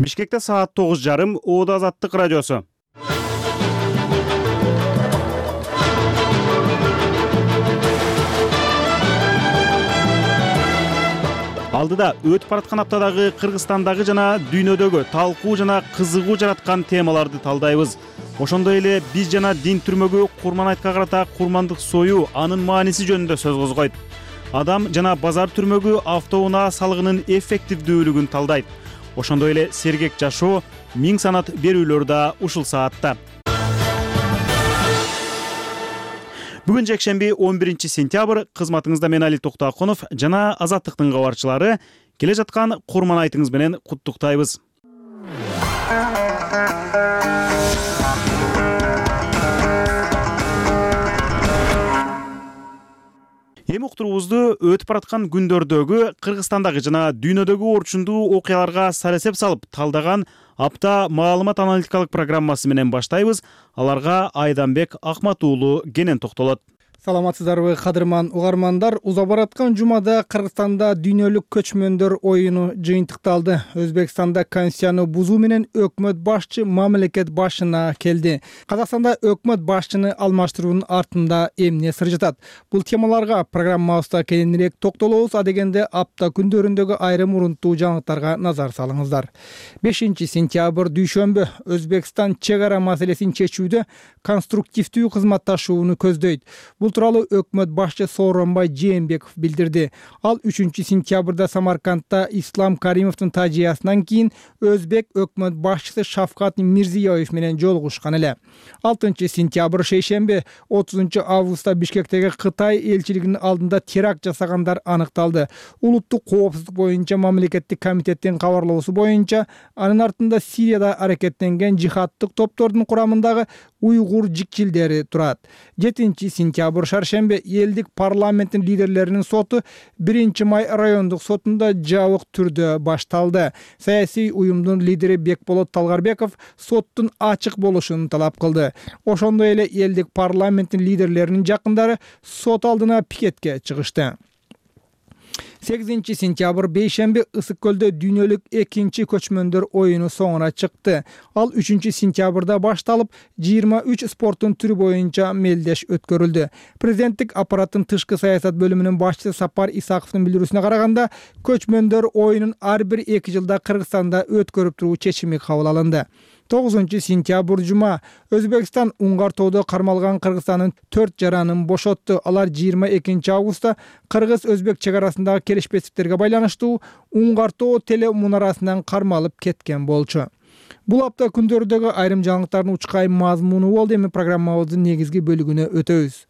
Бишкекте саат 9:30 Оода Азаттык радиосу. Алдыда өтүп бараткан аптадагы Кыргызстандагы жана дүйнөдөгү талкуу жана кызыгуу жараткан темаларды талдайбыз. Ошондой эле биз жана дин түрмөгү Курман айтка карата курмандык союу анын мааниси жөнүндө сөз козгойт. Адам жана базар түрмөгү автоунаа салыгынын эффективдүүлүгүн талдайт. Ошондой эле сергек жашоо, миң санат берүүлөр да ушул саатта. Бүгүн жекшемби 11-сентябрь, кызматыңызда мен Али Токтоакунов жана Азаттыктын кабарчылары келе жаткан Курман айтыңыз менен куттуктайбыз. Эми уктуруубузду өтүп бараткан күндөрдөгү Кыргызстандагы жана дүйнөдөгү орчундуу окуяларга сарасеп салып талдаган апта маалымат аналитикалык программасы менен баштайбыз. Аларга Айданбек Акмат уулу кенен токтолот. Саламатсыздарбы, кадырман угармандар. Уза бараткан жумада Кыргызстанда дүйнөлүк көчмөндөр оюну жыйынтыкталды. Өзбекстанда конституцияны бузуу менен өкмөт башчы мамлекет башына келди. Казакстанда өкмөт башчыны алмаштыруунун артында эмне сыр жатат? Бул темаларга программабызда кененирээк токтолобуз. Адегенде апта күндөрүндөгү айрым урунттуу жаңылыктарга назар салыңыздар. 5-сентябрь дүйшөмбү Өзбекстан чек ара маселесин чечүүдө конструктивдүү кызматташууну көздөйт. Бул тууралуу өкмөт башчы Сооронбай Жээнбеков билдирди. Ал 3-сентябрда Самаркандта Ислам Каримовдун тажыясынан кийин өзбек өкмөт башчысы Шавкат Мирзиёев менен жолугушкан эле. 6-сентябрь шейшемби 30-августта Бишкектеги Кытай элчилигинин алдында теракт жасагандар аныкталды. Улуттук коопсуздук боюнча мамлекеттик комитеттин кабарлоосу боюнча анын артында Сирияда аракеттенген жихаддык топтордун курамындагы уйгур жикчилдери турат. 7-сентябрь шаршембе элдик парламенттин лидерлеринин соту 1-май райондук сотунда жабык түрдө башталды. Саясий уюмдун лидери Бекболот Талгарбеков соттун ачык болушун талап кылды. Ошондой эле элдик парламенттин лидерлеринин жакындары сот алдына пикетке чыгышты. 8-сентябрь бейшемби Ысык көлдө дүйнөлүк экинчи көчмөндөр оюну соңуна чыкты. Ал 3-сентябрда башталып, 23 спорттун түрү боюнча мелдеш өткөрүлдү. Президенттик аппараттын тышкы саясат бөлүмүнүн башчысы Сапар Исаковдун билдирүүсүнө караганда, көчмөндөр оюнун ар бир 2 жылда Кыргызстанда өткөрүп туруу чечими кабыл алынды. 9-сентябрь жума Өзбекстан Уңгар тоодо кармалган Кыргызстандын 4 жаранын бошотту. Алар 22-августта Кыргыз-Өзбек чек арасындагы келишпестиктерге байланыштуу Уңгар тоо теле мунарасынан кармалып кеткен болчу. Бул апта күндөрүндөгү айрым жаңылыктардын учкай мазмуну болду. Эми программабыздын негизги бөлүгүнө өтөбүз.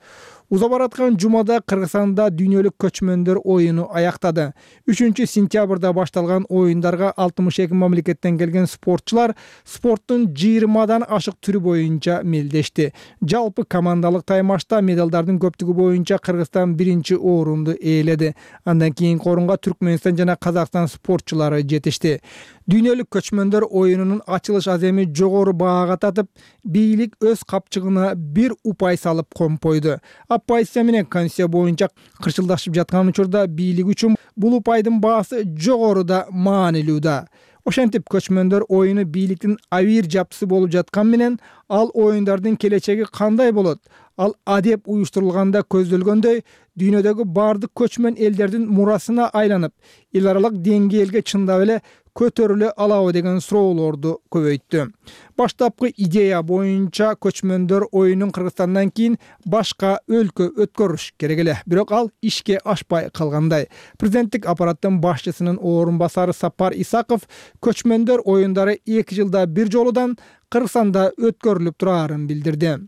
Уза бараткан жумада Кыргызстанда дүйнөлүк көчмөндөр оюну аяктады. 3-сентябрда башталган оюндарга 62 мамлекеттен келген спортчулар спорттун 20дан ашык түрү боюнча мелдешти. Жалпы командалык таймашта медалдардын көптүгү боюнча Кыргызстан 1-орунду ээледи. Андан кийинки орунга Түркмөнстан жана Казакстан спортчулары жетишти. Дүйнөлүк көчмөндөр оюнунун ачылыш аземи жогору баага татып, бийлик өз капчыгына бир упай салып компойду. Оппозиция менен конституция боюнча кырчылдашып жаткан учурда бийлик үчүн бул упайдын баасы жогоруда маанилүү да. Ошентип көчмөндөр оюну бийликтин авир жапчысы болуп жаткан менен ал оюндардын келечеги кандай болот? Ал адеп уюштурулганда көздөлгөндөй дүйнөдөгү бардык көчмөн элдердин мурасына айланып, эл аралык деңгээлге чындап эле көтөрүлө алабы деген суроолорду көбөйттү. Баштапкы идея боюнча көчмөндөр оюнун Кыргызстандан кийин башка өлкө өткөрүш керек эле. Бирок ал ишке ашпай калгандай. Президенттик аппараттын башчысынын орун басары Сапар Исаков көчмөндөр оюндары 2 жылда бир жолудан Кыргызстанда өткөрүлүп турарын билдирди.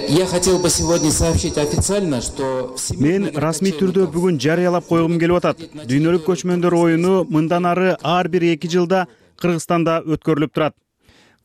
Я хотел бы сегодня сообщить официально, что Мен расмий түрдө бүгүн жарыялап койгум келип атат. Дүйнөлүк көчмөндөр оюну мындан ары ар бир 2 жылда Кыргызстанда өткөрүлүп турат.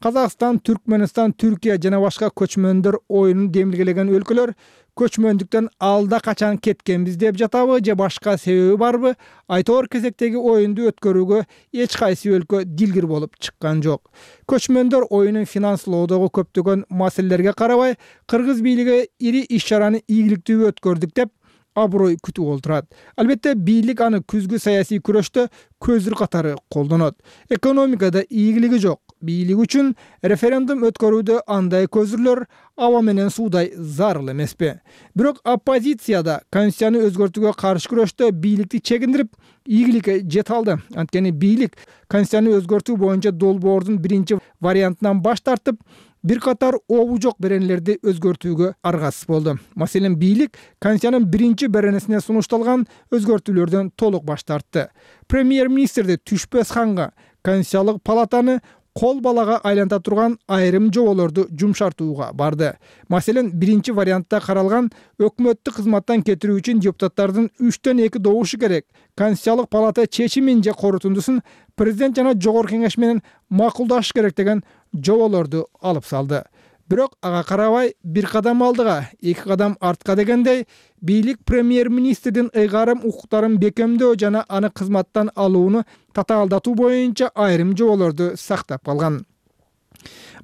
Казакстан, Түркмөнстан, Түркия жана башка көчмөндөр оюнун демилгелеген өлкөлөр көчмөндүктөн алда качан кеткенбиз деп жатабы же башка себеби барбы? Айтор кезектеги оюнду өткөрүүгө эч кайсы өлкө дилгир болуп чыккан жок. Көчмөндөр оюнун финанслоодогу көптөгөн маселелерге карабай, кыргыз бийлиги ири иш чараны ийгиликтүү өткөрдүк деп аброй күтүп олтурат. Албетте бийлик аны күзгү саясий күрөштө көзүр катары колдонот. Экономикада ийгилиги жок. Бийлик үчүн референдум өткөрүүдө андай көзүрлөр аба менен суудай зарыл эмеспи. Бирок оппозицияда конституцияны өзгөртүүгө каршы күрөштө бийликти чегиндирип, ийгиликке жете алды. Анткени бийлик конституцияны өзгөртүү боюнча долбоордун биринчи вариантынан баш тартып, бир катар обу жок беренелерди өзгөртүүгө аргасыз болду. Маселен, бийлик конституциянын биринчи беренесине сунушталган өзгөртүүлөрдөн толук баш тартты. Премьер-министрди түшпөс ханга Конституциялык палатаны кол балага айланта турган айрым жоболорду жумшартууга барды. Маселен, биринчи вариантта каралган өкмөттү кызматтан кетирүү үчүн депутаттардын 3/2 добушу керек. Конституциялык палата чечимин же корутундусун президент жана жогорку кеңеш менен макулдашыш керек деген жоболорду алып салды. Бирок ага карабай бир кадам алдыга, 2 кадам артка дегендей, бийлик премьер-министрдин ыйгарым укуктарын бекемдөө жана аны кызматтан алууну татаалдатуу боюнча айрым жоболорду сактап калган.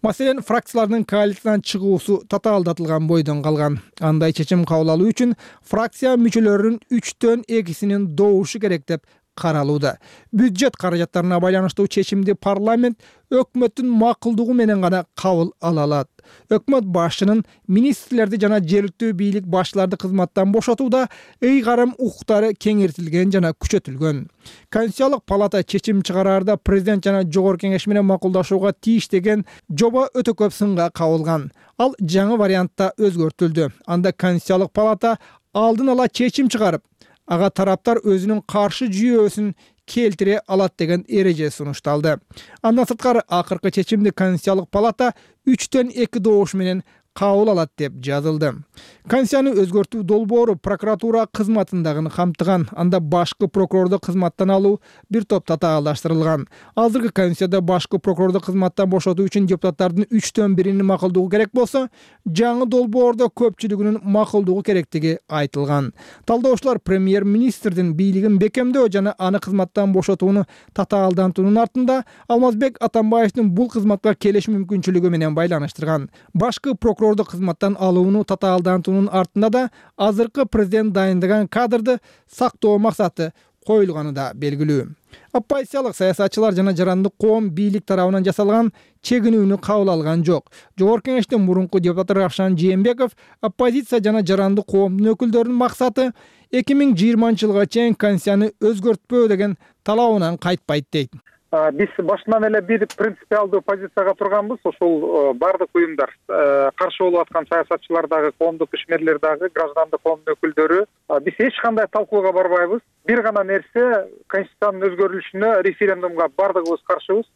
Маселен, фракциялардын коалициядан чыгуусу татаалдатылган бойдон калган. Андай чечим кабыл алуу үчүн фракция мүчөлөрүнүн 3/2 добушу керек деп каралууда. Бюджет каражаттарына байланыштуу чечимди парламент өкмөттүн макулдугу менен гана кабыл ала алат. Өкмөт башчынын министрлерди жана жергиликтүү бийлик башчыларды кызматтан бошотууда ыйгарым укуктары кеңейтилген жана күчөтүлгөн. Конституциялык палата чечим чыгараарда президент жана жогорку кеңеш менен макулдашууга тийиш деген жоба өтө көп сынга кабылган. Ал жаңы вариантта өзгөртүлдү. Анда Конституциялык палата алдын ала чечим чыгарып, ага тараптар өзүнүн каршы жүйөөсүн келтире алат деген эреже сунушталды. Андан сырткары акыркы чечимди Конституциялык палата 3/2 добуш менен кабыл алат деп жазылды. Конституцияны өзгөртүү долбоору прокуратура кызматындагы камтыган. Анда башкы прокурорду кызматтан алуу бир топ татаалдаштырылган. Азыркы Конституцияда башкы прокурорду кызматтан бошотуу үчүн депутаттардын 3/1 макулдугу керек болсо, жаңы долбоордо көпчүлүгүнүн макулдугу керектиги айтылган. Талдоочулар премьер-министрдин бийлигин бекемдөө жана аны кызматтан бошотууну татаалдантуунун артында Алмазбек Атамбаевдин бул кызматка келиш мүмкүнчүлүгү менен байланыштырган. Башкы прокурорду кызматтан алууну татаалдантуунун артында да азыркы президент дайындаган кадрды сактоо максаты коюлганы да белгилүү. Оппозициялык саясатчылар жана жарандык коом бийлик тарабынан жасалган чегинүүнү кабыл алган жок. Жогорку кеңештин мурунку депутаты Равшан Жээнбеков оппозиция жана жарандык коомдун өкүлдөрүнүн максаты 2020-жылга чейин конституцияны өзгөртпөө деген талабынан кайтпайт дейт. Биз башынан эле бир принципиалдуу позицияга турганбыз. Ошол бардык уюмдар, каршы болуп аткан саясатчылар дагы, коомдук ишмерлер дагы, граждандык коомдун өкүлдөрү. Биз эч кандай талкууга барбайбыз. Бир гана нерсе, конституциянын өзгөрүлүшүнө референдумга бардыгыбыз каршыбыз.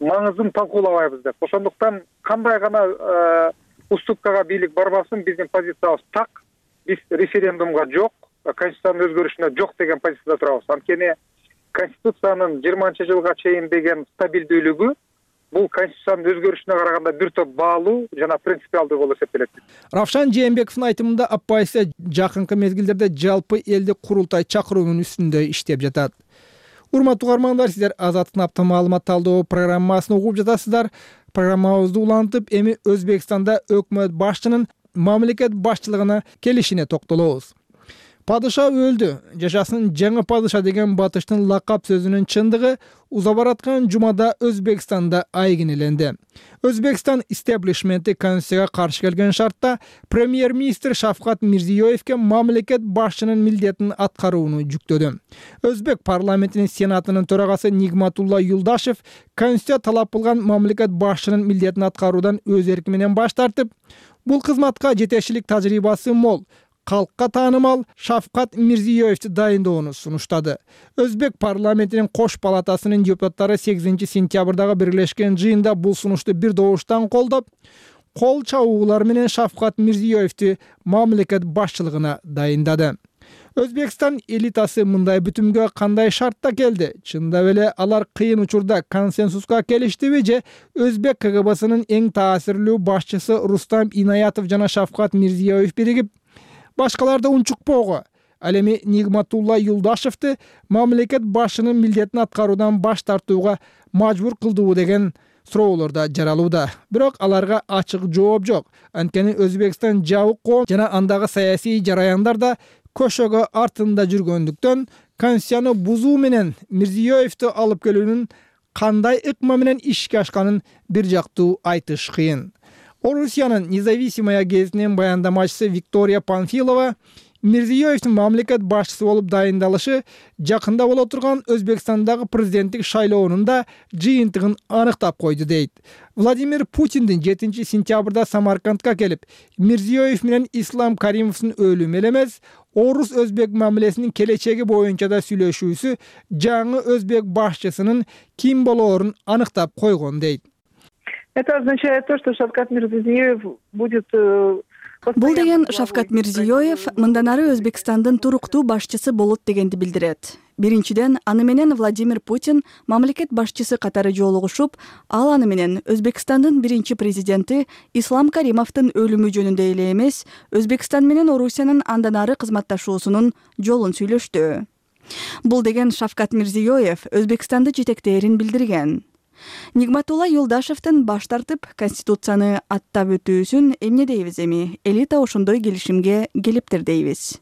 Маңызын талкуулабайбыз деп. Ошондуктан кандай гана уступкага бийлик барбасын, биздин позициябыз так. Биз референдумга жок, конституциянын өзгөрүшүнө жок деген позицияда турабыз. Анткени Конституциянын 20-жылга чейин деген стабилдүүлүгү бул конституциянын өзгөрүшүнө караганда бир топ баалуу жана принципиалдуу болуп эсептелет. Равшан Жээнбековдун айтымында оппозиция жакынкы мезгилдерде жалпы элдик курултай чакыруунун үстүндө иштеп жатат. Урматтуу угармандар, сиздер Азаттык апта маалымат талдоо программасын угуп жатасыздар. Программабызды улантып, эми Өзбекстанда өкмөт башчынын мамлекет башчылыгына келишине токтолобуз. Падыша өлдү. Жашасын жаңы падыша деген батыштын лакап сөзүнүн чындыгы уза бараткан жумада Өзбекстанда айгинеленди. Өзбекстан истеблишменти конституцияга каршы келген шартта премьер-министр Шавкат Мирзиёевке мамлекет башчынын милдетин аткарууну жүктөдү. Өзбек парламентинин сенатынын төрагасы Нигматулла Юлдашев конституция талап кылган мамлекет башчынын милдетин аткаруудан өз эрки менен баш тартып, бул кызматка жетекчилик тажрыйбасы мол, калкка таанымал Шавкат Мирзиёевди дайындоону сунуштады. Өзбек парламентинин кош палатасынын депутаттары 8-сентябрдагы биргелешкен жыйында бул сунушту бир добуштан колдоп, кол чабуулар менен Шавкат Мирзиёевди мамлекет башчылыгына дайындады. Өзбекстан элитасы мындай бүтүмгө кандай шартта келди? Чындап эле алар кыйын учурда консенсуска келиштиби же Өзбек КГБсынын эң таасирлүү башчысы Рустам Инаятов жана Шавкат Мирзиёев биригип башкаларды унчукпоого, ал эми Нигматулла Юлдашевди мамлекет башчынын милдетин аткаруудан баш тартууга мажбур кылдыбы деген суроолор да жаралууда. Бирок аларга ачык жооп жок. Анткени Өзбекстан жабык коом жана андагы саясий жараяндар да көшөгө артында жүргөндүктөн конституцияны бузуу менен Мирзиёевду алып келүүнүн кандай ыкма менен ишке ашканын бир жактуу айтыш кыйын. Орусиянын Независимая гезитинин баяндамачысы Виктория Панфилова Мирзиёевдин мамлекет башчысы болуп дайындалышы жакында боло турган Өзбекстандагы президенттик шайлоонун да жыйынтыгын аныктап койду дейт. Владимир Путиндин 7 сентябрда Самаркандга келип, Мирзиёев менен Ислам Каримовдун өлүмү эле эмес, орус-өзбек мамилесинин келечеги боюнча да сүйлөшүүсү жаңы өзбек башчысынын ким болоорун аныктап койгон дейт. Это означает то, что Шавкат Мирзиёев будет... Бул деген Шавкат Мирзиёев мындан ары Өзбекстандын туруктуу башчысы болот дегенди билдирет. Биринчиден, аны менен Владимир Путин мамлекет башчысы катары жолугушуп, ал аны менен Өзбекстандын биринчи президенти Ислам Каримовдун өлүмү жөнүндө эле эмес, Өзбекстан менен Орусиянын андан ары кызматташуусунун жолун сүйлөштү. Бул деген Шавкат Мирзиёев Өзбекстанды жетектээрин билдирген. Нигматулла Юлдашевдин баш тартып Конституцияны аттап өтүүсүн эмне дейбиз эми? Элита ошондой келишимге келиптир дейбиз.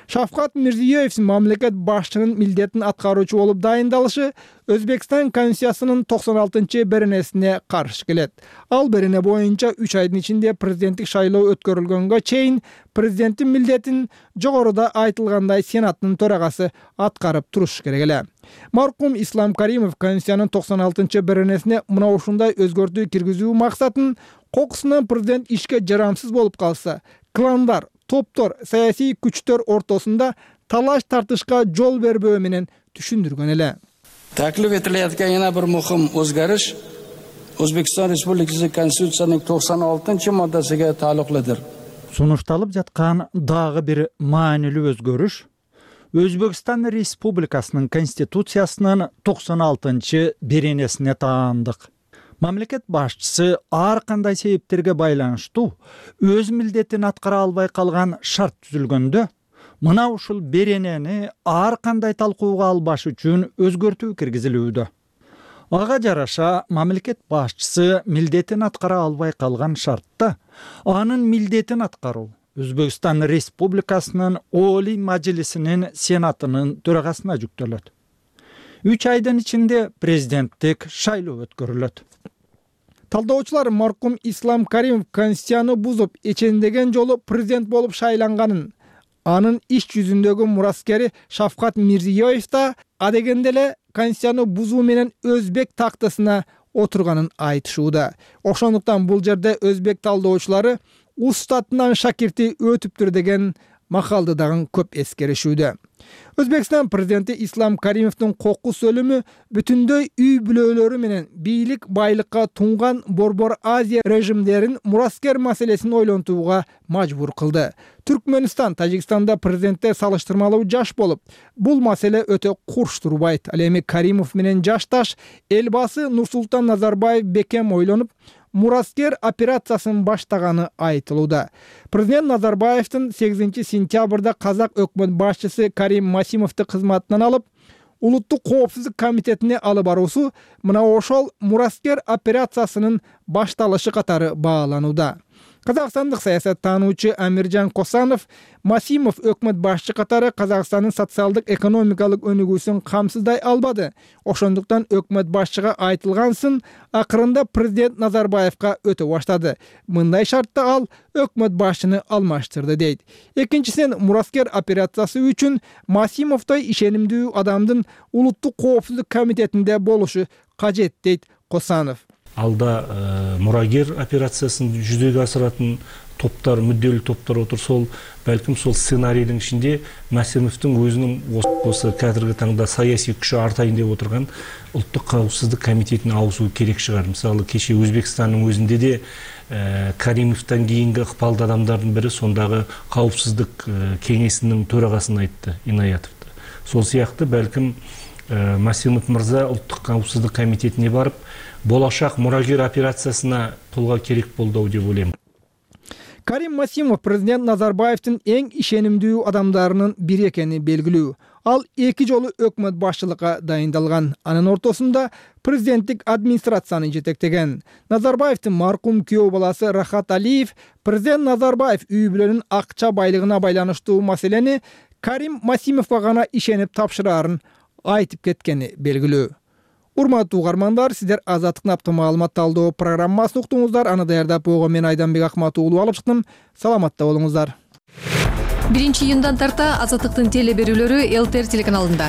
Шавкат Мирзиёев мамлекет башчынын милдетин аткаруучу болуп дайындалышы Өзбекстан конституциясынын 96-беренесине каршы келет. Ал берене боюнча 3 айдын ичинде президенттик шайлоо өткөрүлгөнгө чейин президенттин милдетин жогоруда айтылгандай Сенаттын төрагасы аткарып туруш керек эле. Маркум Ислам Каримов конституциянын 96-беренесине мына ушундай өзгөртүү киргизүү максатын кокусунан президент ишке жарамсыз болуп калса, кландар, топтор, саясий күчтөр ортосунда талаш тартышка жол бербөө менен түшүндүргөн эле. Taklif etilayotgan yana bir muhim o'zgarish O'zbekiston Respublikasi Konstitutsiyasining 96-moddasiga taalluqlidir. Сунушталып жаткан дагы бир маанилүү өзгөрүш Өзбекстан Республикасынын Конституциясынын 96-беренесине таандык. Мамлекет башчысы ар кандай себептерге байланыштуу өз милдетин аткара албай калган шарт түзүлгөндө, мына ушул беренени ар кандай талкууга албаш үчүн өзгөртүү киргизилүүдө. Ага жараша мамлекет башчысы милдетин аткара албай калган шартта анын милдетин аткаруу Өзбекстан Республикасынын Олий Мажлисинин Сенатынын төрагасына жүктөлөт. 3 айдын ичинде президенттик шайлоо өткөрүлөт. Талдоочулар маркум Ислам Каримов конституцияны бузуп, эчендеген жолу президент болуп шайланганын, анын иш жүзүндөгү мураскери Шавкат Мирзиёев да адегенде эле конституцияны бузуу менен өзбек тактысына отурганын айтышууда. Ошондуктан бул жерде өзбек талдоочулары устатынан шакирти өтүптүр деген макалды дагы көп эскеришүүдө. Өзбекстан президенти Ислам Каримовдун кокус өлүмү бүтүндөй үй бүлөлөрү менен бийлик байлыкка тунган Борбор Азия режимдерин мураскер маселесин ойлонтууга мажбур кылды. Түркмөнстан Тажикстанда президенттер салыштырмалуу жаш болуп, бул маселе өтө курч турбайт. Ал эми Каримов менен жашташ элбасы Нурсултан Назарбаев бекем ойлонуп, мураскер операциясын баштаганы айтылууда. Президент Назарбаевдин 8 сентябрда казак өкмөт башчысы Карим Масимовду кызматынан алып, Улуттук коопсуздук комитетине алып баруусу мына ошол мураскер операциясынын башталышы катары бааланууда. Казакстандык саясаттануучу Амиржан Косанов Масимов өкмөт башчы катары Казакстандын социалдык экономикалык өнүгүүсүн камсыздай албады. Ошондуктан өкмөт башчыга айтылгансын акырында президент Назарбаевка өтө баштады. Мындай шартта ал өкмөт башчыны алмаштырды дейт. Экинчисинен мураскер операциясы үчүн Масимовдой ишенимдүү адамдын Улуттук коопсуздук комитетинде болушу кажет дейт Косанов. Алда мурагер операциясын жүзөгө асыратын топтар, мүдделүү топтор отурса, балким сол сценарийдин ичинде Масимовдун өзүнүн осы кадрга таңда саясий күчү артайын деп отурган Улуттук коопсуздук комитетине ауысуу керек чыгар. Мисалы, кеше Өзбекстандын өзүндө де Каримовдон кийинки ыкпалдуу адамдардын бири сондагы коопсуздук кеңесинин төрагасын айтты, Инаятовду. Сол сыяктуу балким Масимов мырза Улуттук коопсуздук комитетине барып, болашак мурагер операциясына пулга керек болду деп ойлойм. Карим Масимов президент Назарбаевдин эң ишенимдүү адамдарынын бири экени белгилүү. Ал 2 жолу өкмөт башчылыкка дайындалган. Анын ортосунда президенттик администрацияны жетектеген. Назарбаевдин маркум күйөө баласы Рахат Алиев президент Назарбаев үй бүлөнүн акча байлыгына байланыштуу маселени Карим Масимовго гана ишенип тапшырарын айтып кеткени белгилүү. Урматтуу угармандар, сиздер Азаттыктын апта маалымат талдоо программасын уктуңуздар. Аны даярдап койгон мен Айданбек Акмат уулу алып чыктым. Саламатта болуңуздар. 1-июндан тарта Азаттыктын телеберүүлөрү ЛТР телеканалында.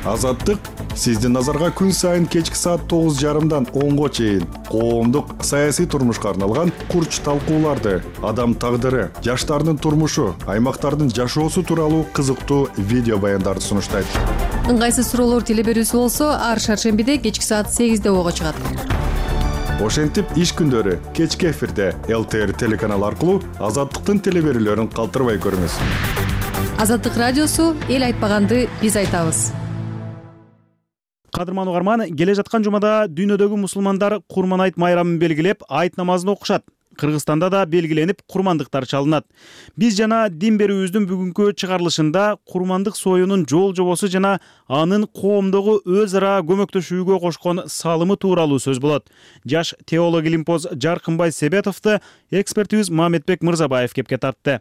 Азаттык сиздин назарга күн сайын кечки саат 9:30дан 10го чейин коомдук саясий турмушка арналган курч талкууларды, адам тагдыры, жаштардын турмушу, аймактардын жашоосу тууралуу кызыктуу видео баяндарды сунуштайт. Ыңгайсыз суроолор телеберүүсү болсо, ар шаршембиде кечки саат 8де ого чыгат. Ошентип иш күндөрү кечки эфирде ЛТР телеканалы аркылуу Азаттыктын телеберүүлөрүн калтырбай көрүңүз. Азаттык радиосу эл айтпаганды биз айтабыз. Кадырман угарман, келе жаткан жумада дүйнөдөгү мусулмандар Курман айт майрамын белгилеп, айт намазын окушат. Кыргызстанда да белгиленип, курмандыктар чалынат. Биз жана дин берүүбүздүн бүгүнкү чыгарылышында курмандык союунун жол жобосу жана анын коомдогу өз ара көмөктөшүүгө кошкон салымы тууралуу сөз болот. Жаш теолог илимпоз Жаркынбай Себетовду экспертибиз Мамедбек Мырзабаев кепке тартты.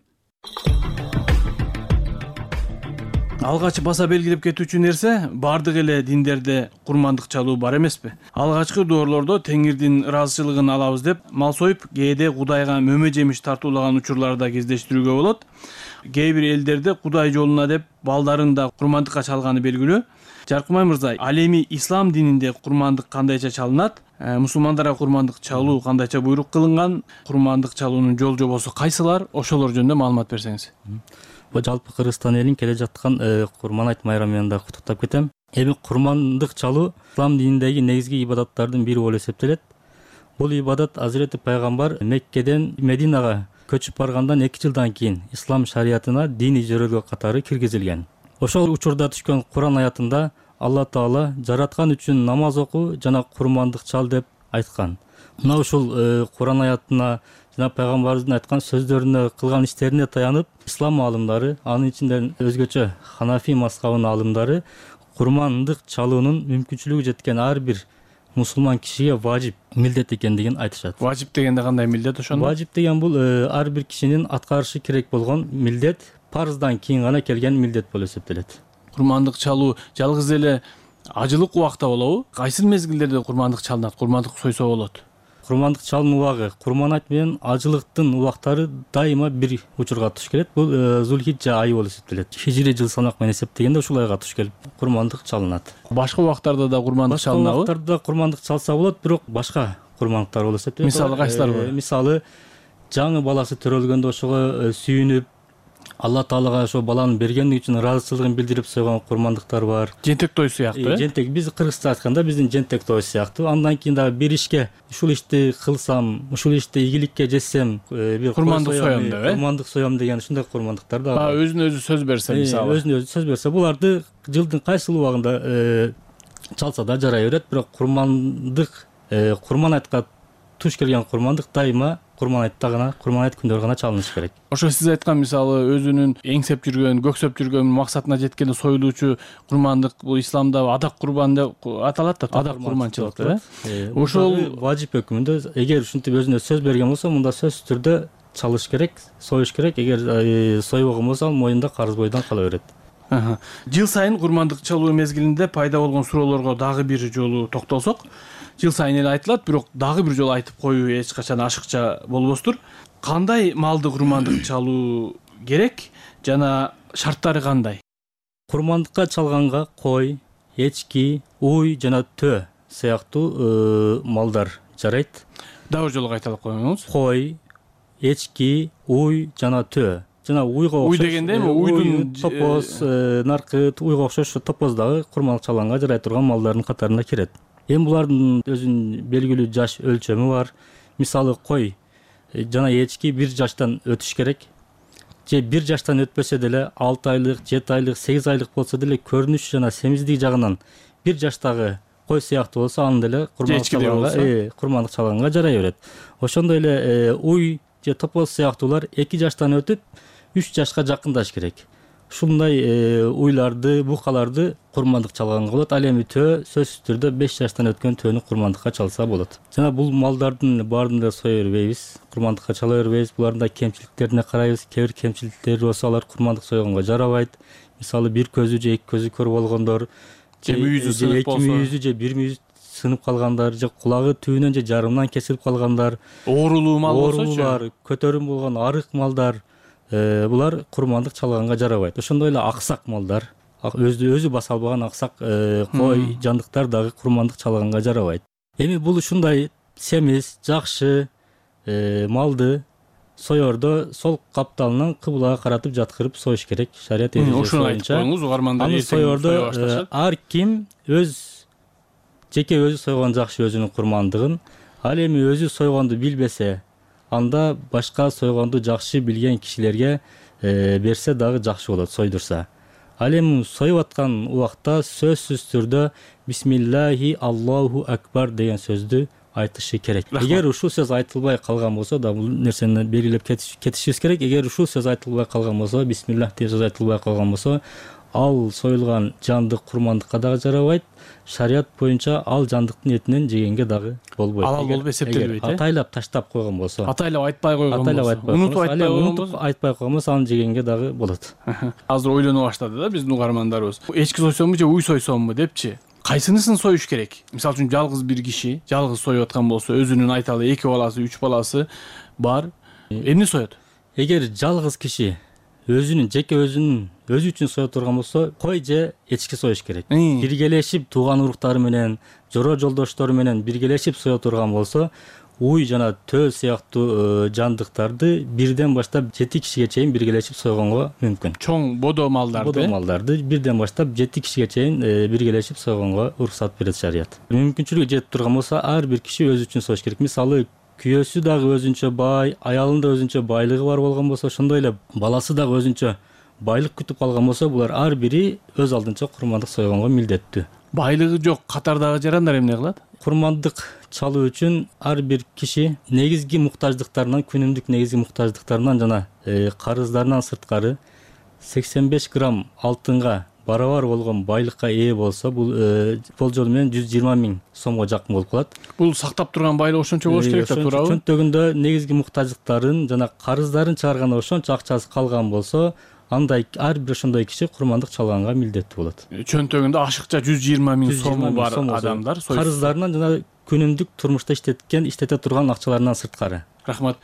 Алгач баса белгилеп кетүүчү нерсе, бардык эле диндерде курмандык чалуу бар эмеспи? Алгачкы доорлордо Теңирдин ыраазычылыгын алабыз деп мал союп, кээде Кудайга мөмө жемиш тартуулаган учурларды кездештирүүгө болот. Кээ бир элдерде Кудай жолуна деп балдарын да курмандыкка чалганы белгилүү. Жаркынбай мырза, ал эми ислам дининде курмандык кандайча чалынат? Мусулмандарга курмандык чалуу кандайча буйрук кылынган? Курмандык чалуунун жол жобосу кайсылар? Ошолор жөнүндө маалымат берсеңиз. Жалпы Кыргызстан элин келе жаткан Курман айт майрамы менен да куттуктап кетем. Эми курмандык чалуу ислам дининдеги негизги ибадаттардын бири болуп эсептелет. Бул ибадат Азирети пайгамбар Меккеден Мединага көчүп баргандан 2 жылдан кийин ислам шариятына диний жөрөлгө катары киргизилген. Ошол учурда түшкөн Куран аятында Алла Таала жараткан үчүн намаз окуу жана курмандык чал деп айткан. Мына ушул Куран аятына жана пайгамбарыбыздын айткан сөздөрүнө, кылган иштерине таянып, ислам аалымдары, анын ичинде өзгөчө Ханафи мазхабынын аалымдары курмандык чалуунун мүмкүнчүлүгү жеткен ар бир мусулман кишиге важип, милдет экендигин айтышат. Важип дегенде кандай милдет ошондо? Важип деген бул ар бир кишинин аткарышы керек болгон милдет, парыздан кийин гана келген милдет болуп эсептелет. Курмандык чалуу жалгыз эле ажылык убакта болобу? Кайсы мезгилдерде курмандык чалынат, курмандык сойсо болот? Курмандык чалуу убагы, Курман айт менен ажылыктын убактары дайыма бир учурга туш келет. Бул Зулхиджа айы болуп эсептелет. Хижри жыл санак менен эсептегенде ушул айга туш келип курмандык чалынат. Башка убактарда да курмандык чалынабы? Башка убактарда курмандык чалса болот, бирок башка курмандыктар болуп эсептелет. Мисалы кайсылар бар? Мисалы жаңы баласы төрөлгөндө ошого сүйүнүп, Алла Таалага ошо баланы бергендиги үчүн ыраазычылыгын билдирип сойгон курмандыктар бар. Жентек той сыяктуу, Жентек биз кыргызча айтканда биздин жентек той сыяктуу. Андан кийин дагы бир ишке ушул ишти кылсам, ушул ишти ийгиликке жетсем, бир курмандык соём деп, курмандык соём деген ушундай курмандыктар да бар. Өзүнө өзү сөз берсе, мисалы. Өзүнө өзү сөз берсе, буларды жылдын кайсы убагында чалса да жарай берет, бирок курмандык, Курман айтка туш келген курмандык дайыма Курман айтта гана, Курман айт күндөрү гана чалыныш керек. Ошо сиз айткан мисалы өзүнүн эңсеп жүргөн, көксөп жүргөн максатына жеткенде союлуучу курмандык бул исламда адак курбан деп аталат да, адак курманчылык, Ошол важип өкүмүндө эгер ушинтип өзүнө сөз берген болсо, мында сөзсүз түрдө чалыш керек, союш керек. Эгер сойбогон болсо, ал моюнда карыз бойдон кала берет. Жыл сайын курмандык чалуу мезгилинде пайда болгон суроолорго дагы бир жолу токтолсок, жыл сайын эле айтылат, бирок дагы бир жолу айтып коюу эч качан ашыкча болбостур. Кандай малды курмандык чалуу керек жана шарттары кандай? Курмандыкка чалганга кой, эчки, уй жана төө сыяктуу малдар жарайт. Дагы бир жолу кайталап коюңуз. Кой, эчки, уй жана төө. Жана уйга окшош. Уй дегенде эми уйдун топоз, наркыт, уйга окшош топоз дагы курмандык чалганга жарай турган малдардын катарына кирет. Эми булардын өзүнүн белгилүү жаш өлчөмү бар. Мисалы кой жана эчки 1 жаштан өтүш керек. Же 1 жаштан өтпөсө деле 6 айлык, 7 айлык, 8 айлык болсо деле көрүнүш жана семиздик жагынан 1 жаштагы кой сыяктуу болсо аны деле курмандык чалганга жарай берет. Ошондой эле уй же топоз сыяктуулар 2 жаштан өтүп 3 жашка жакындаш керек. ушундай уйларды, букаларды курмандык чалганга болот. Ал эми төө сөзсүз түрдө 5 жаштан өткөн төөнү курмандыкка чалса болот. Жана бул малдардын баарын да сое бербейбиз, курмандыкка чала бербейбиз. Булардын да кемчиликтерине карайбыз. Кээ бир кемчиликтери болсо алар курмандык сойгонго жарабайт. Мисалы бир көзү же эки көзү көр болгондор, же мүйүзү сынып болсо, эки мүйүзү же бир мүйүзү сынып калгандар, же кулагы түбүнөн же жарымынан кесилип калгандар, оорулуу мал болсочу, көтөрүм болгон арык малдар, булар курмандык чалганга жарабайт. Ошондой эле аксак малдар, өзү баса албаган аксак кой, жандыктар дагы курмандык чалганга жарабайт. Эми бул ушундай семиз, жакшы малды соердо сол капталынан кыблага каратып жаткырып союш керек. Шарият эрежеси боюнча. Аны соердо ар ким жеке өзү сойгон жакшы өзүнүн курмандыгын. Ал эми өзү сойгонду билбесе, анда башка сойгонду жакшы билген кишилерге берсе дагы жакшы болот, сойдурса. Ал эми союп аткан убакта сөзсүз түрдө бисмиллахи Аллаху акбар деген сөздү айтышы керек. Эгер ушул сөз айтылбай калган болсо да, бул нерсени белгилеп кетишибиз керек. Эгер ушул сөз айтылбай калган болсо, бисмиллах деген сөз айтылбай калган болсо, ал союлган жандык курмандыкка дагы жарабайт. Шарият боюнча ал жандыктын этинен жегенге дагы болбойт. Алал болуп эсептелбейт. Атайлап таштап койгон болсо, атайлап айтпай койгон болсо, унутуп айтпай койгон болсо, аны жегенге дагы болот. Азыр ойлоно баштады да биздин угармандарыбыз. Эчки сойсомбу же уй сойсомбу депчи? Кайсынысын союш керек? Мисалы үчүн жалгыз бир киши жалгыз союп аткан болсо, өзүнүн айталы 2 баласы, 3 баласы бар, эмне соет? Эгер жалгыз киши жеке өзү үчүн союп турган болсо, кой же эчки союш керек. Биргелешип тууган уруктары менен, жора жолдоштору менен биргелешип союп турган болсо, уй жана төө сыяктуу жандыктарды бирден баштап 7 кишиге чейин биргелешип сойгонго мүмкүн. Чоң бодо малдарды бирден баштап 7 кишиге чейин биргелешип сойгонго уруксат берет шарият. Мүмкүнчүлүгү жетип турган болсо, ар бир киши өзү үчүн союш керек. Мисалы күйөөсү дагы өзүнчө бай, аялында өзүнчө байлыгы бар болгон болсо, ошондой эле баласы дагы өзүнчө байлык күтүп калган болсо, булар ар бири өз алдынча курмандык сойгонго милдеттүү. Байлыгы жок катардагы жарандар эмне кылат? Курмандык чалуу үчүн ар бир киши негизги муктаждыктарынан, күнүмдүк негизги муктаждыктарынан жана карыздарынан сырткары 85 грамм алтынга барабар болгон байлыкка ээ болсо, бул болжол менен 120 000 сомго жакын болуп калат. Бул сактап турган байлык ошончо болуш керек да, туурабы? Чөнтөгүндө негизги муктаждыктарын жана карыздарын чыгарганда ошончо акчасы калган болсо, андай ар бир ошондой киши курмандык чалганга милдеттүү болот. Чөнтөгүндө ашыкча 120 000 сому бар адамдар карыздарынан жана күнүмдүк турмушта иштете турган акчаларынан сырткары. Рахмат.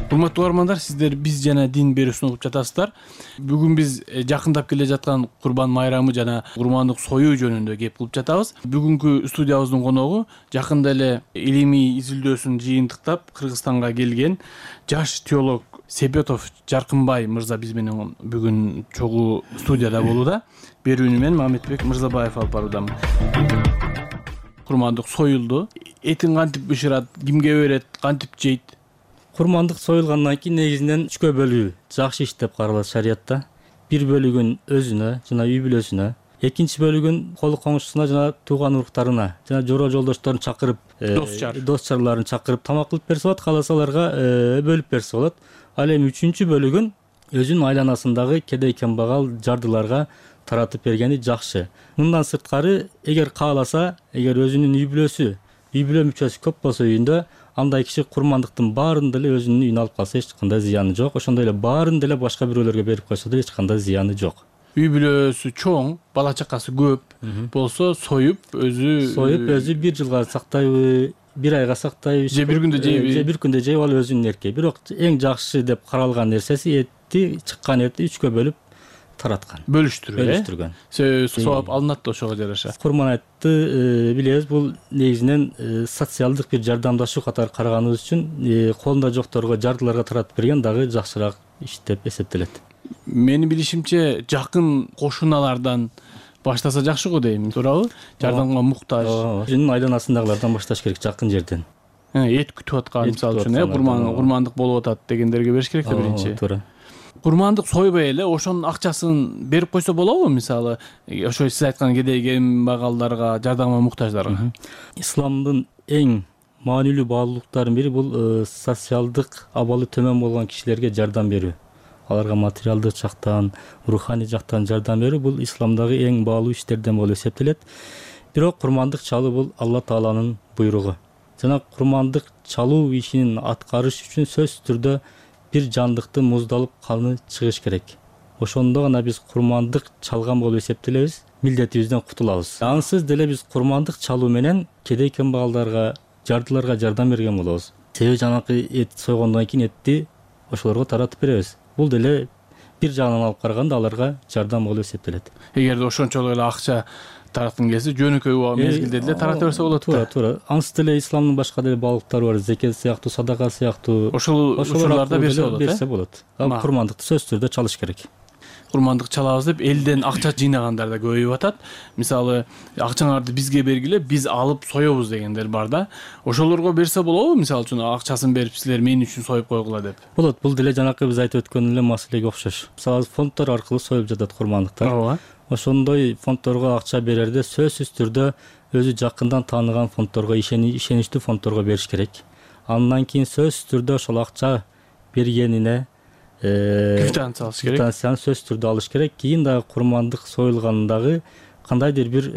Урматтуу угармандар, сиздер биз жана дин берүүсүн угуп жатасыздар. Бүгүн биз жакындап келе жаткан Курбан майрамы жана курмандык союу жөнүндө кеп кылып жатабыз. Бүгүнкү студиябыздын коногу жакында эле илимий изилдөөсүн жыйынтыктап Кыргызстанга келген жаш теолог Себетов Жаркынбай мырза биз менен бүгүн чогуу студияда болууда. Берүүнү мен Мамедбек Мырзабаев алып баруудамын. Курмандык союлду. Этин кантип бышырат, кимге берет, кантип жейт? Курмандык союлгандан кийин негизинен 3кө бөлүү жакшы иш деп каралат шариятта. Бир бөлүгүн өзүнө жана үй бүлөсүнө, экинчи бөлүгүн кол коңшусуна жана тууган уруктарына жана жора жолдошторун чакырып, дос чарларын чакырып тамак кылып берсе болот, кааласа аларга бөлүп берсе болот. Ал эми үчүнчү бөлүгүн өзүнүн айланасындагы кедей кембагал жардыларга таратып бергени жакшы. Мындан сырткары, эгер кааласа, эгер өзүнүн үй бүлө мүчөсү көп болсо үйүндө, андай киши курмандыктын баарын деле өзүнүн үйүнө алып калса эч кандай зыяны жок. Ошондой эле баарын деле башка бирөөлөргө берип койсо да эч кандай зыяны жок. Үй бүлөсү чоң, бала чакасы көп болсо союп өзү бир жылга сактайбы, бир айга сактайбы, же бир күндө жейби, ал өзүнүн эрки. Бирок эң жакшы деп каралган нерсеси чыккан этти 3кө бөлүп тараткан, бөлүштүргөн. Сооп алынат да ошого жараша. Курман айтты билебиз, бул негизинен социалдык бир жардамдашуу катары караганыбыз үчүн колунда жокторго, жардыларга таратып берген дагы жакшыраак иш деп эсептелет. Менин билишимче жакын кошуналардан баштаса жакшы го дейм, туурабы? Жардамга муктаж. Өзүнүн айланасындагылардан башташ керек, жакын жерден. Эт күтүп аткан, мисалы үчүн, курмандык болуп атат дегендерге бериш керек да биринчи. Туура. Курмандык сойбой эле ошонун акчасын берип койсо болобу, мисалы, ошо сиз айткан кедей кембагалдарга, жардамга муктаждарга? Исламдын эң маанилүү баалуулуктарынын бири бул социалдык абалы төмөн болгон кишилерге жардам берүү. аларга материалдык жактан, руханий жактан жардам берүү бул исламдагы эң баалуу иштерден болуп эсептелет. Бирок курмандык чалуу бул Алла Тааланын буйругу. Жана курмандык чалуу ишин аткарыш үчүн сөзсүз түрдө бир жандыктын муздалып каны чыгыш керек. Ошондо гана биз курмандык чалган болуп эсептелебиз, милдетибизден кутулабыз. Ансыз деле биз курмандык чалуу менен кедей кембагалдарга, жардыларга жардам берген болобуз. Себеби жанакы эт сойгондон кийин этти ошолорго таратып беребиз. Бул деле бир жагынан алып караганда аларга жардам болуп эсептелет. Эгерде ошончолук эле акча тараткың келсе, жөнөкөй мезгилде деле тарата берсе болот да. Туура. Ансыз деле исламдын башка деле баалыктары бар, зекет сыяктуу, садака сыяктуу. Ошол учурларда берсе болот. Курмандыкты сөзсүз түрдө чалыш керек. Курмандык чалабыз деп элден акча жыйнагандар да көбөйүп атат. Мисалы, акчаңарды бизге бергиле, биз алып соёбуз дегендер бар да. Ошолорго берсе болобу? Мисалы үчүн акчасын берип силер мен үчүн союп койгула деп. Болот. Бул деле жанакы биз айтып өткөн эле маселеге окшош. Мисалы, фонддор аркылуу союп жатат курмандыктар. Ооба. Ошондой фонддорго акча берерде сөзсүз түрдө өзү жакындан тааныган фонддорго, ишеничтүү фонддорго бериш керек. Андан кийин сөзсүз түрдө ошол акча бергенине квитанция алыш керек. Квитанцияны сөзсүз түрдө алыш керек. Кийин дагы курмандык союлгандагы кандайдыр бир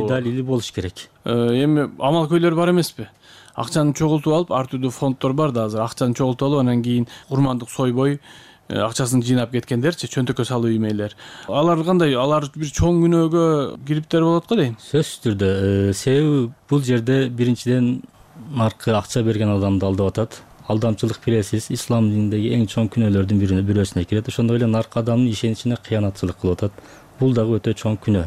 далили болуш керек. Эми амалкөйлөр бар эмеспи? Акчаны чогултуп алып, ар түрдүү фонддор бар да азыр. Акчаны чогултуп алып, анан кийин курмандык сойбой акчасын жыйнап кеткендерчи, чөнтөккө салуу эмейлер. Алар кандай? Алар бир чоң күнөөгө кириптер болот го дейм. Сөзсүз түрдө. Себеби бул жерде биринчиден наркы акча берген адамды алдап атат. Алдамчылык билесиз, ислам дининдеги эң чоң күнөөлөрдүн бирөөсүнө кирет. Ошондой эле наркы адамдын ишеничине кыянатчылык кылып атат. Бул дагы өтө чоң күнөө.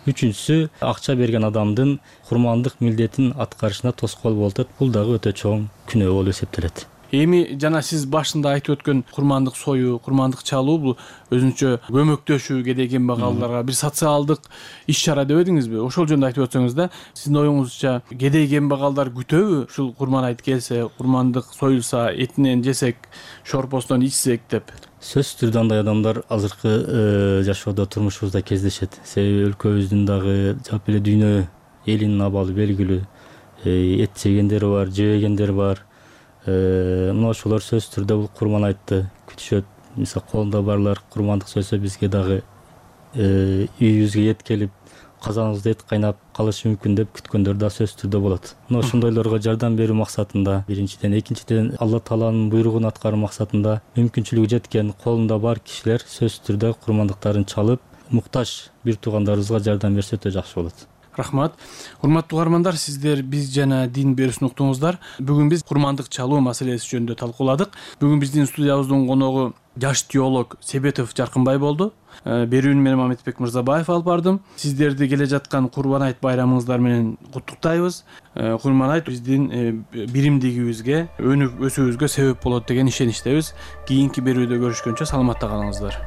Үчүнчүсү, акча берген адамдын курмандык милдетин аткарышына тоскоол болуп атат. Бул дагы өтө чоң күнөө болуп эсептелет. Эми жана сиз башында айтып өткөн курмандык союу, курмандык чалуу бул өзүнчө көмөктөшүү кедей кембагалдарга бир социалдык иш-чара дебедиңизби? Ошол жөнүндө айтып өтсөңүз да, сиздин оюңузча кедей кембагалдар күтөбү? Ушул курман айт келсе, курмандык союлса, этинен жесек, шорпосунан ичсек деп. Сөзсүз түрдө андай адамдар азыркы жашоодо, турмушубузда кездешет. Себеби өлкөбүздүн дагы жалпы эле дүйнө элинин абалы белгилүү. Эт жегендер бар, жебегендер бар. Мына ошолор сөзсүз түрдө бул курман айтты күтүшөт. Мисалы, колунда барлар курмандык сойсо бизге дагы үйүбүзгө эт келип, казаныбызда эт кайнап калышы мүмкүн деп күткөндөр да сөзсүз түрдө болот. Мына ошондойлорго жардам берүү максатында, биринчиден, экинчиден Алла Тааланын буйругун аткаруу максатында мүмкүнчүлүгү жеткен колунда бар кишилер сөзсүз түрдө курмандыктарын чалып, муктаж бир туугандарыбызга жардам берсе өтө жакшы болот. Рахмат. Урматтуу угармандар, сиздер биз жана дин берүүсүн уктуңуздар. Бүгүн биз курмандык чалуу маселеси жөнүндө талкууладык. Бүгүн биздин студиябыздын коногу жаш теолог Себетов Жаркынбай болду. Берүүнү мен Мамедбек Мырзабаев алып бардым. Сиздерди келе жаткан Курбан айт байрамыңыздар менен куттуктайбыз. Курбан айт биздин биримдигибизге, өнүп өсүүбүзгө себеп болот деген ишеничтебиз. Кийинки берүүдө көрүшкөнчө саламатта калыңыздар.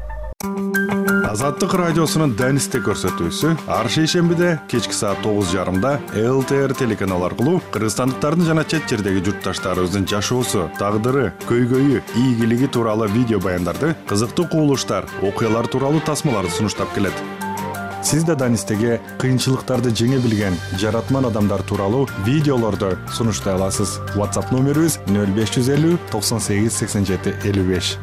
Азаттык радиосунун Данисте көрсөтүүсү ар шейшембиде кечки саат 9:30 ЛТР телеканалы аркылуу кыргызстандыктардын жана чет жердеги журтташтарыбыздын жашоосу, тагдыры, көйгөйү, ийгилиги тууралуу видео баяндарды, кызыктуу кубулуштар, окуялар тууралуу тасмаларды сунуштап келет. Сиз да Данистеге кыйынчылыктарды жеңе билген жаратман адамдар тууралуу видеолорду сунуштай аласыз. WhatsApp номерибиз 0550 98 87 55.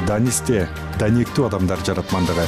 Данисте, даниктүү адамдар жаратмандыгы.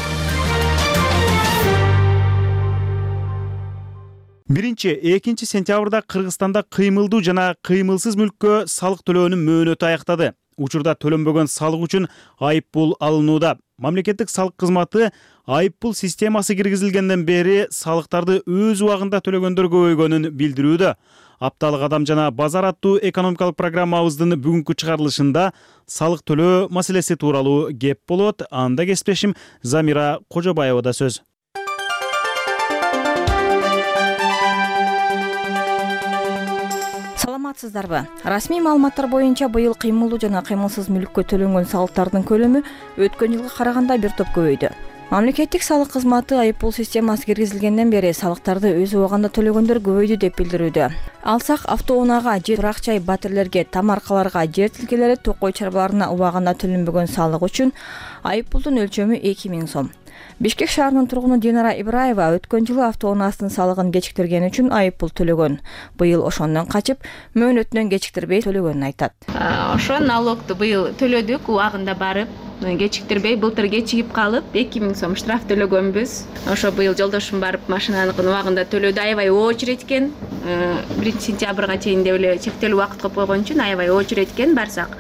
1-2 сентябрда Кыргызстанда кыймылдуу жана кыймылсыз мүлккө салык төлөөнүн мөөнөтү аяктады. Учурда төлөнбөгөн салык үчүн айыппул алынууда. Мамлекеттик салык кызматы айыппул системасы киргизилгенден бери салыктарды өз убагында төлөгөндөр көбөйгөнүн билдирүүдө. Апталык адам жана базар аттуу экономикалык программабыздын бүгүнкү чыгарылышында салык төлөө маселеси тууралуу кеп болот. Анда кесиптешим Замира Кожобаевада сөз. Саламатсыздарбы? Расмий маалыматтар боюнча быйыл кыймылдуу жана кыймылсыз мүлккө төлөнгөн салыктардын көлөмү өткөн жылга караганда бир топ көбөйдү. Мамлекеттик салык кызматы айыппул системасы киргизилгенден бери салыктарды өз убагында төлөгөндөр көбөйдү деп билдирүүдө. Алсак автоунаага же турак жай батирлерге, тамаркаларга, жер тилкелери, токой чарбаларына убагында төлөнбөгөн салык үчүн айыппулдун өлчөмү 2000 сом. Бишкек шаарынын тургуну Динара Ибраева өткөн жылы автоунаасынын салыгын кечиктиргени үчүн айыппул төлөгөн. Быйыл ошондон качып, мөөнөтүнөн кечиктирбей төлөгөнүн айтат. Ошо налогду быйыл төлөдүк, убагында барып, кечиктирбей, былтыр кечигип калып 2000 сом штраф төлөгөнбүз. Ошо быйыл жолдошум барып машинаныкын убагында төлөдү. Аябай очередь экен. 1 сентябрга чейин деп эле чектелүү убакыт коюп койгон үчүн аябай очередь экен. Барсак,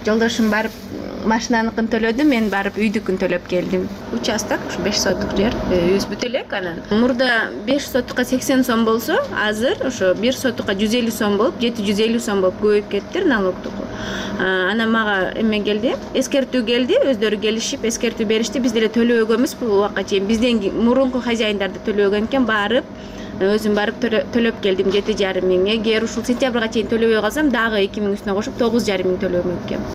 жолдошум барып машинаныкын төлөдү, мен барып үйдүкүн төлөп келдим. Участок ушу 5 соттук жер, үйүбүз бүт элек анан. Мурда 5 соттукка 80 сом болсо, азыр ошо 1 соттукка 150 сом болуп, 750 сом болуп көбөйүп кетти налогдук. Анан мага эме келди, эскертүү келди, өздөрү келишип эскертүү беришти. Биз деле төлөбөгөнбүз бул убакка чейин. Бизден мурунку хозяиндарды төлөбөгөн экен, барып өзүм барып төлөп келдим 7,5 миң. Эгер ушул сентябрга чейин төлөбөй калсам, дагы 2 миң үстүнө кошуп 9,5 миң төлөмөк экен.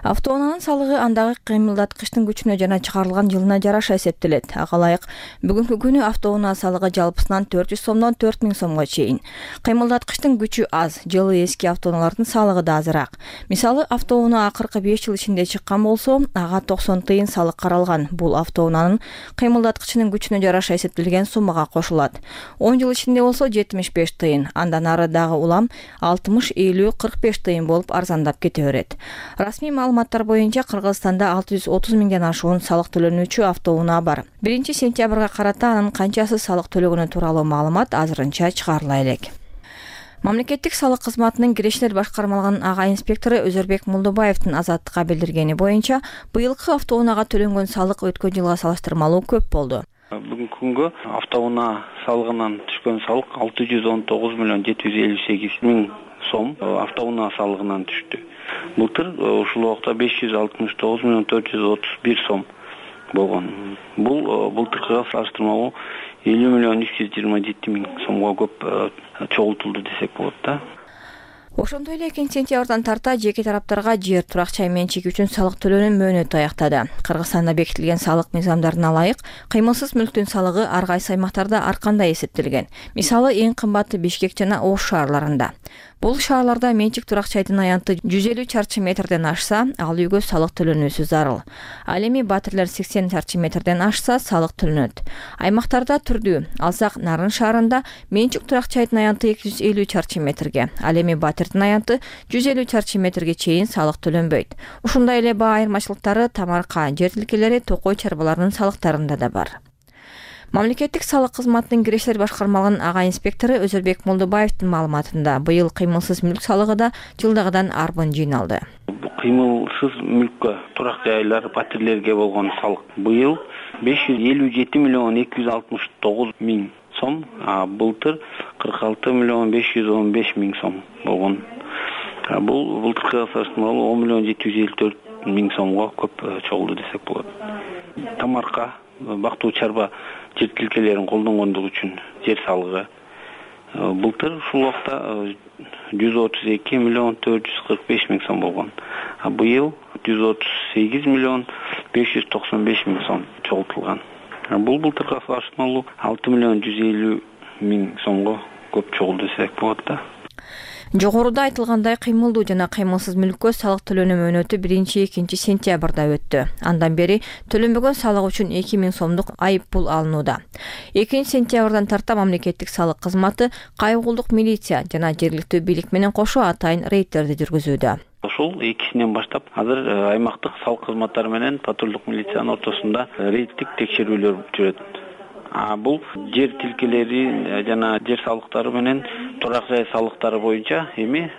Автоунаанын салыгы андагы кыймылдаткычтын күчүнө жана чыгарылган жылына жараша эсептелет. Ага ылайык бүгүнкү күнү автоунаа салыгы жалпысынан 400 сомдон 4000 сомго чейин. Кыймылдаткычтын күчү аз, жылы эски автоунаалардын салыгы да азыраак. Мисалы, автоунаа акыркы 5 жыл ичинде чыккан болсо, ага 90 тыйын салык каралган. Бул автоунаанын кыймылдаткычынын күчүнө жараша эсептелген суммага кошулат. 10 жыл ичинде болсо 75 тыйын, андан ары дагы улам 60, 50, 45 тыйын болуп арзандап кете берет. Расмий маалыматтар боюнча Кыргызстанда 630 миңден ашуун салык төлөнүүчү автоунаа бар. 1 сентябрга карата анын канчасы салык төлөгөнү тууралуу маалымат азырынча чыгарыла элек. Мамлекеттик салык кызматынын кирешилер башкармалыгынын ага инспектору Өзөрбек Мулдубаевдин Азаттыкка билдиргени боюнча, быйылкы автоунаага төлөнгөн салык өткөн жылга салыштырмалуу көп болду. Бүгүнкү күнгө автоунаа салыгынан түшкөн салык 619 миллион 758 миң сом автоунаа салыгынан түштү. Былтыр ушул убакта 569 миллион 431 сом болгон. Бул былтыркыга салыштырмалуу 50 миллион 327 миң сомго көп чогултулду десек болот да. Ошондой эле 2 сентябрдан тарта жеке тараптарга жер турак жай менчиги үчүн салык төлөөнүн мөөнөтү аяктады. Кыргызстанда бекитилген салык мыйзамдарына ылайык кыймылсыз мүлктүн салыгы ар кайсы аймактарда ар кандай эсептелген. Мисалы, эң кымбаты Бишкек жана Ош шаарларында. Бул шаарларда менчик турак жайдын аянты 150 чарчы метрден ашса, ал үйгө салык төлөнүүсү зарыл. Ал эми Батирлер 80 чарчы метрден ашса, салык төлөнөт. Аймактарда түрдүү. Алсак, Нарын шаарында менчик турак жайдын аянты 250 чарчы метрге, ал эми Батирдин аянты 150 чарчы метрге чейин салык төлөнбөйт. Ушундай эле баа айырмачылыктары тамарка, жер тилкелери, токой чарбаларынын салыктарында да бар. Мамлекеттик салык кызматынын кирешилер башкармалыгынын ага инспектору Өзөрбек Мулдубаевдин маалыматында, быйыл кыймылсыз мүлк салыгы да жылдагыдан арбын жыйналды. Кыймылсыз мүлккө, турак жайлар, батирлерге болгон салык быйыл 557 миллион 269 миң сом, былтыр 46 миллион 515 миң сом болгон. Бул былтыркыга салыштырмалуу 10 миллион 754 миң сомго көп чогулду десек болот. Тамарка, бактуу чарба жер тилкелерин колдонгондугу үчүн жер салыгы былтыр ушул убакта 132 миллион 445 миң сом болгон. Быйыл 138 миллион 595 миң сом чогултулган. Бул былтырга салыштырмалуу 6 миллион 150 миң сомго көп чогулду десек болот да. Жогоруда айтылгандай кыймылдуу жана кыймылсыз мүлккө салык төлөөнү мөөнөтү 1-2 сентябрда өттү. Андан бери төлөнбөгөн салык үчүн 2000 сомдук айып пул алынууда. 2 сентябрдан тарта мамлекеттик салык кызматы кайгуулдук милиция жана жергиликтүү бийлик менен кошо атайын рейдтерди жүргүзүүдө. Ошол экисинен баштап азыр аймактык салык кызматтары менен патрулдук милициянын ортосунда рейдтик текшерүүлөр жүрөт. Бул жер тилкелери жана жер салыктары менен турак жай салыктары боюнча эми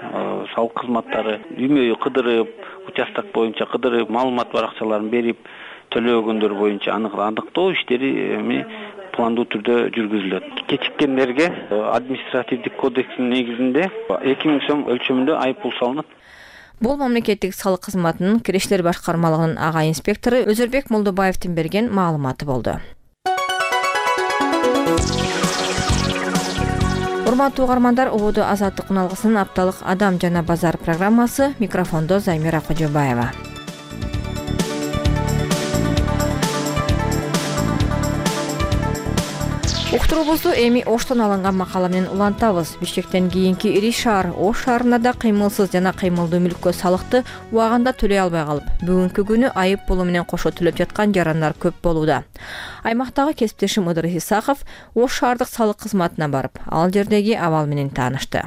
салык кызматтары үймөйү кыдырып, участок боюнча кыдырып, маалымат баракчаларын берип төлөбөгөндөр боюнча аныктоо иштери эми пландуу түрдө жүргүзүлөт. Кечиккендерге административдик кодекстин негизинде 2000 сом өлчөмүндө айып пул салынат. Бул мамлекеттик салык кызматынын кирешилер башкармалыгынын ага инспектору Өзөрбек Мулдубаевдин берген маалыматы болду. Урматтуу угармандар, убуду Азаттык уналгысынын апталык Адам жана базар программасы. Микрофондо Займира Кожобаева. Уктуруубузду эми Оштон алынган макала менен улантабыз. Бишкектен кийинки ири шаар Ош шаарында да кыймылсыз жана кыймылдуу мүлккө салыкты убагында төлөй албай калып, бүгүнкү күнү айып пулу менен кошо төлөп жаткан жарандар көп болууда. Аймактагы кесиптешим Ыдыр Исаков Ош шаардык салык кызматына барып, ал жердеги абал менен таанышты.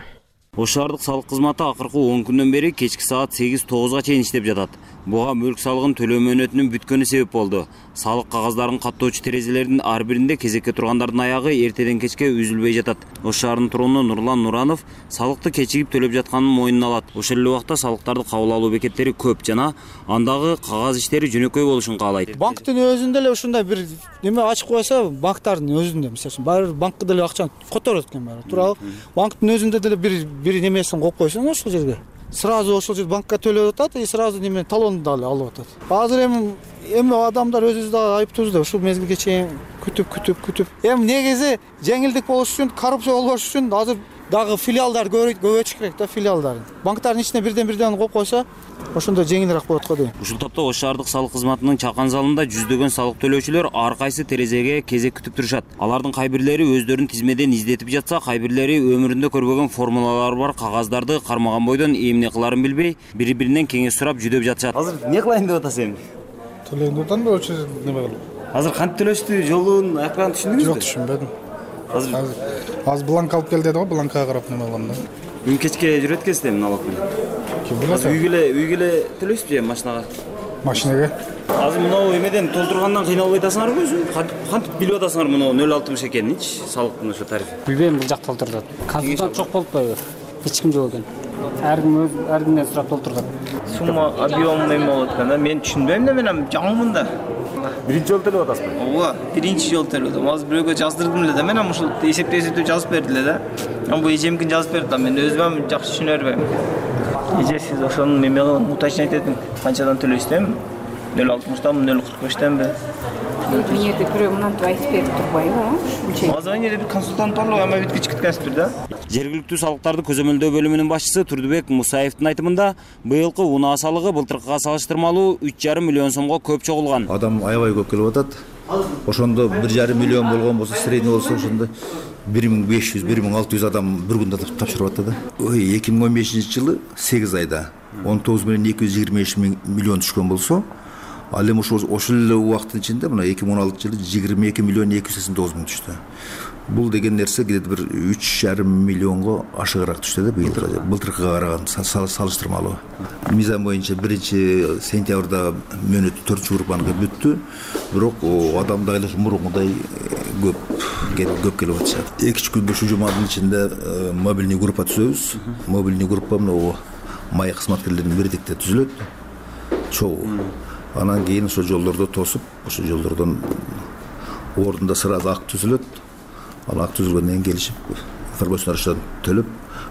Ош шаардык салык кызматы акыркы 10 күндөн бери кечки саат 8-9га чейин иштеп жатат. Буга мүлк салыгын төлөө мөөнөтүнүн бүткөнү себеп болду. Салык кагаздарын каттоочу терезелердин ар биринде кезекке тургандардын аягы эртеден кечке үзүлбөй жатат. Ош шаарынын туруну Нурлан Нуранов салыкты кечигип төлөп жатканын мойнуна алат. Ошол эле убакта салыктарды кабыл алуу бекеттери көп жана андагы кагаз иштери жөнөкөй болушун каалайт. Банктын өзүндө эле ушундай бир неме ачып койсо, банктардын өзүндө, мисалы баары банкка деле акчаны которот экен баары. Туурабы? Банктын өзүндө деле бир немесин коюп койсоң ошол жерге сразу ошол жерде банкка төлөп атат и сразу неме талонду дагы алып атат. Азыр эми адамдар өзүбүз дагы айыптуубуз да ушул мезгилге чейин күтүп. Эми негизи жеңилдик болуш үчүн, коррупция болбош үчүн азыр дагы филиалдар көбөйтүш керек да, филиалдарын. Банктардын ичине бирден коюп койсо, ошондо жеңилирээк болот го дейм. Ушул топто Ош шаардык салык кызматынын чакан залында жүздөгөн салык төлөөчүлөр ар кайсы терезеге кезек күтүп турушат. Алардын кай бирлери өздөрүн тизмеден издетип жатса, кай бирлери өмүрүндө көрбөгөн формулалары бар кагаздарды кармаган бойдон эмне кыларын билбей, бири-биринен кеңеш сурап жүдөп жатышат. Азыр эмне кылайын деп атасың? Төлөйүн деп атам да, очо неме кылып. Азыр кантип төлөштү, жолун аякпан түшүндүңүзбү? Жок, түшүнбөдүм. Азыр бланк алып кел деди го, бланкка карап неме кылам да. Бүгүн кечке жүрөт экенсиз налог менен. Азыр үйгө эле төлөйсүзбү же машинага? Машинага. Азыр мынау эмеден толтургандан кыйналбай атасыңарбы өзү? Кантип билип атасыңар мынау 0,60 экенинчи салыктын ошо тарифи? Билбейм, бул жак толтурат. Консультант жок болуп атпайбы? Эч ким жок экен. Ар кимден сурап толтурат. Сумма объем эме болот экен да. Мен түшүнбөйм да, мен жаңымын да. Биринчи жолу төлөп атасызбы? Ооба, биринчи жолу төлөп атам. Азыр бирөөгө жаздырдым эле да. Мен ушул эсептеп жазып берди эле да. Бул эжемкин жазып берди да. Мен өзүм жакшы түшүнө бербейм. Эже сиз ошонун эме кылып уточнять этиң. Канчадан төлөйсүзбү? 0,60-данбы, 0,45-денби? Мен жерде бирөө мынантип айтып берип турбайбы? Азыр жерде бир консультант бар, ама бүткүч күткөнсүздүр да. Жергиликтүү салыктарды көзөмөлдөө бөлүмүнүн башчысы Турдубек Мусаевдин айтымында, быйылкы унаа салыгы былтыркыга салыштырмалуу 3,5 миллион сомго көп чогулган. Адам аябай көп келип атат. Ошондо 1,5 миллион болгон болсо, средний болсо ошондо 1500-1600 адам бир күндө тапшырып атты да. 2015-жылы 8 айда 19,223 миллион түшкөн болсо, ал эми ошол эле убакыттын ичинде мына 2016-жылы 22,289 миң түштү. Бул деген нерсе где-то бир 3,5 миллионго ашыгыраак түштү да былтыркыга караганда салыштырмалуу. Мизан боюнча 1-сентябрда мөөнөт 4-группаныкы бүттү, бирок адамдар мурункудай көп келип атышат. 2 күндө ушу жуманын ичинде мобильный группа түзөбүз. Мобильный группа мына май кызматкерлеринин бирдикте түзүлөт. Чогуу. Анан кийин ошо жолдордо тосуп, ошо жолдордон ордунда сразу акт түзүлөт. Ал акт түзүлгөндөн кийин келишип, информациялар төлөп,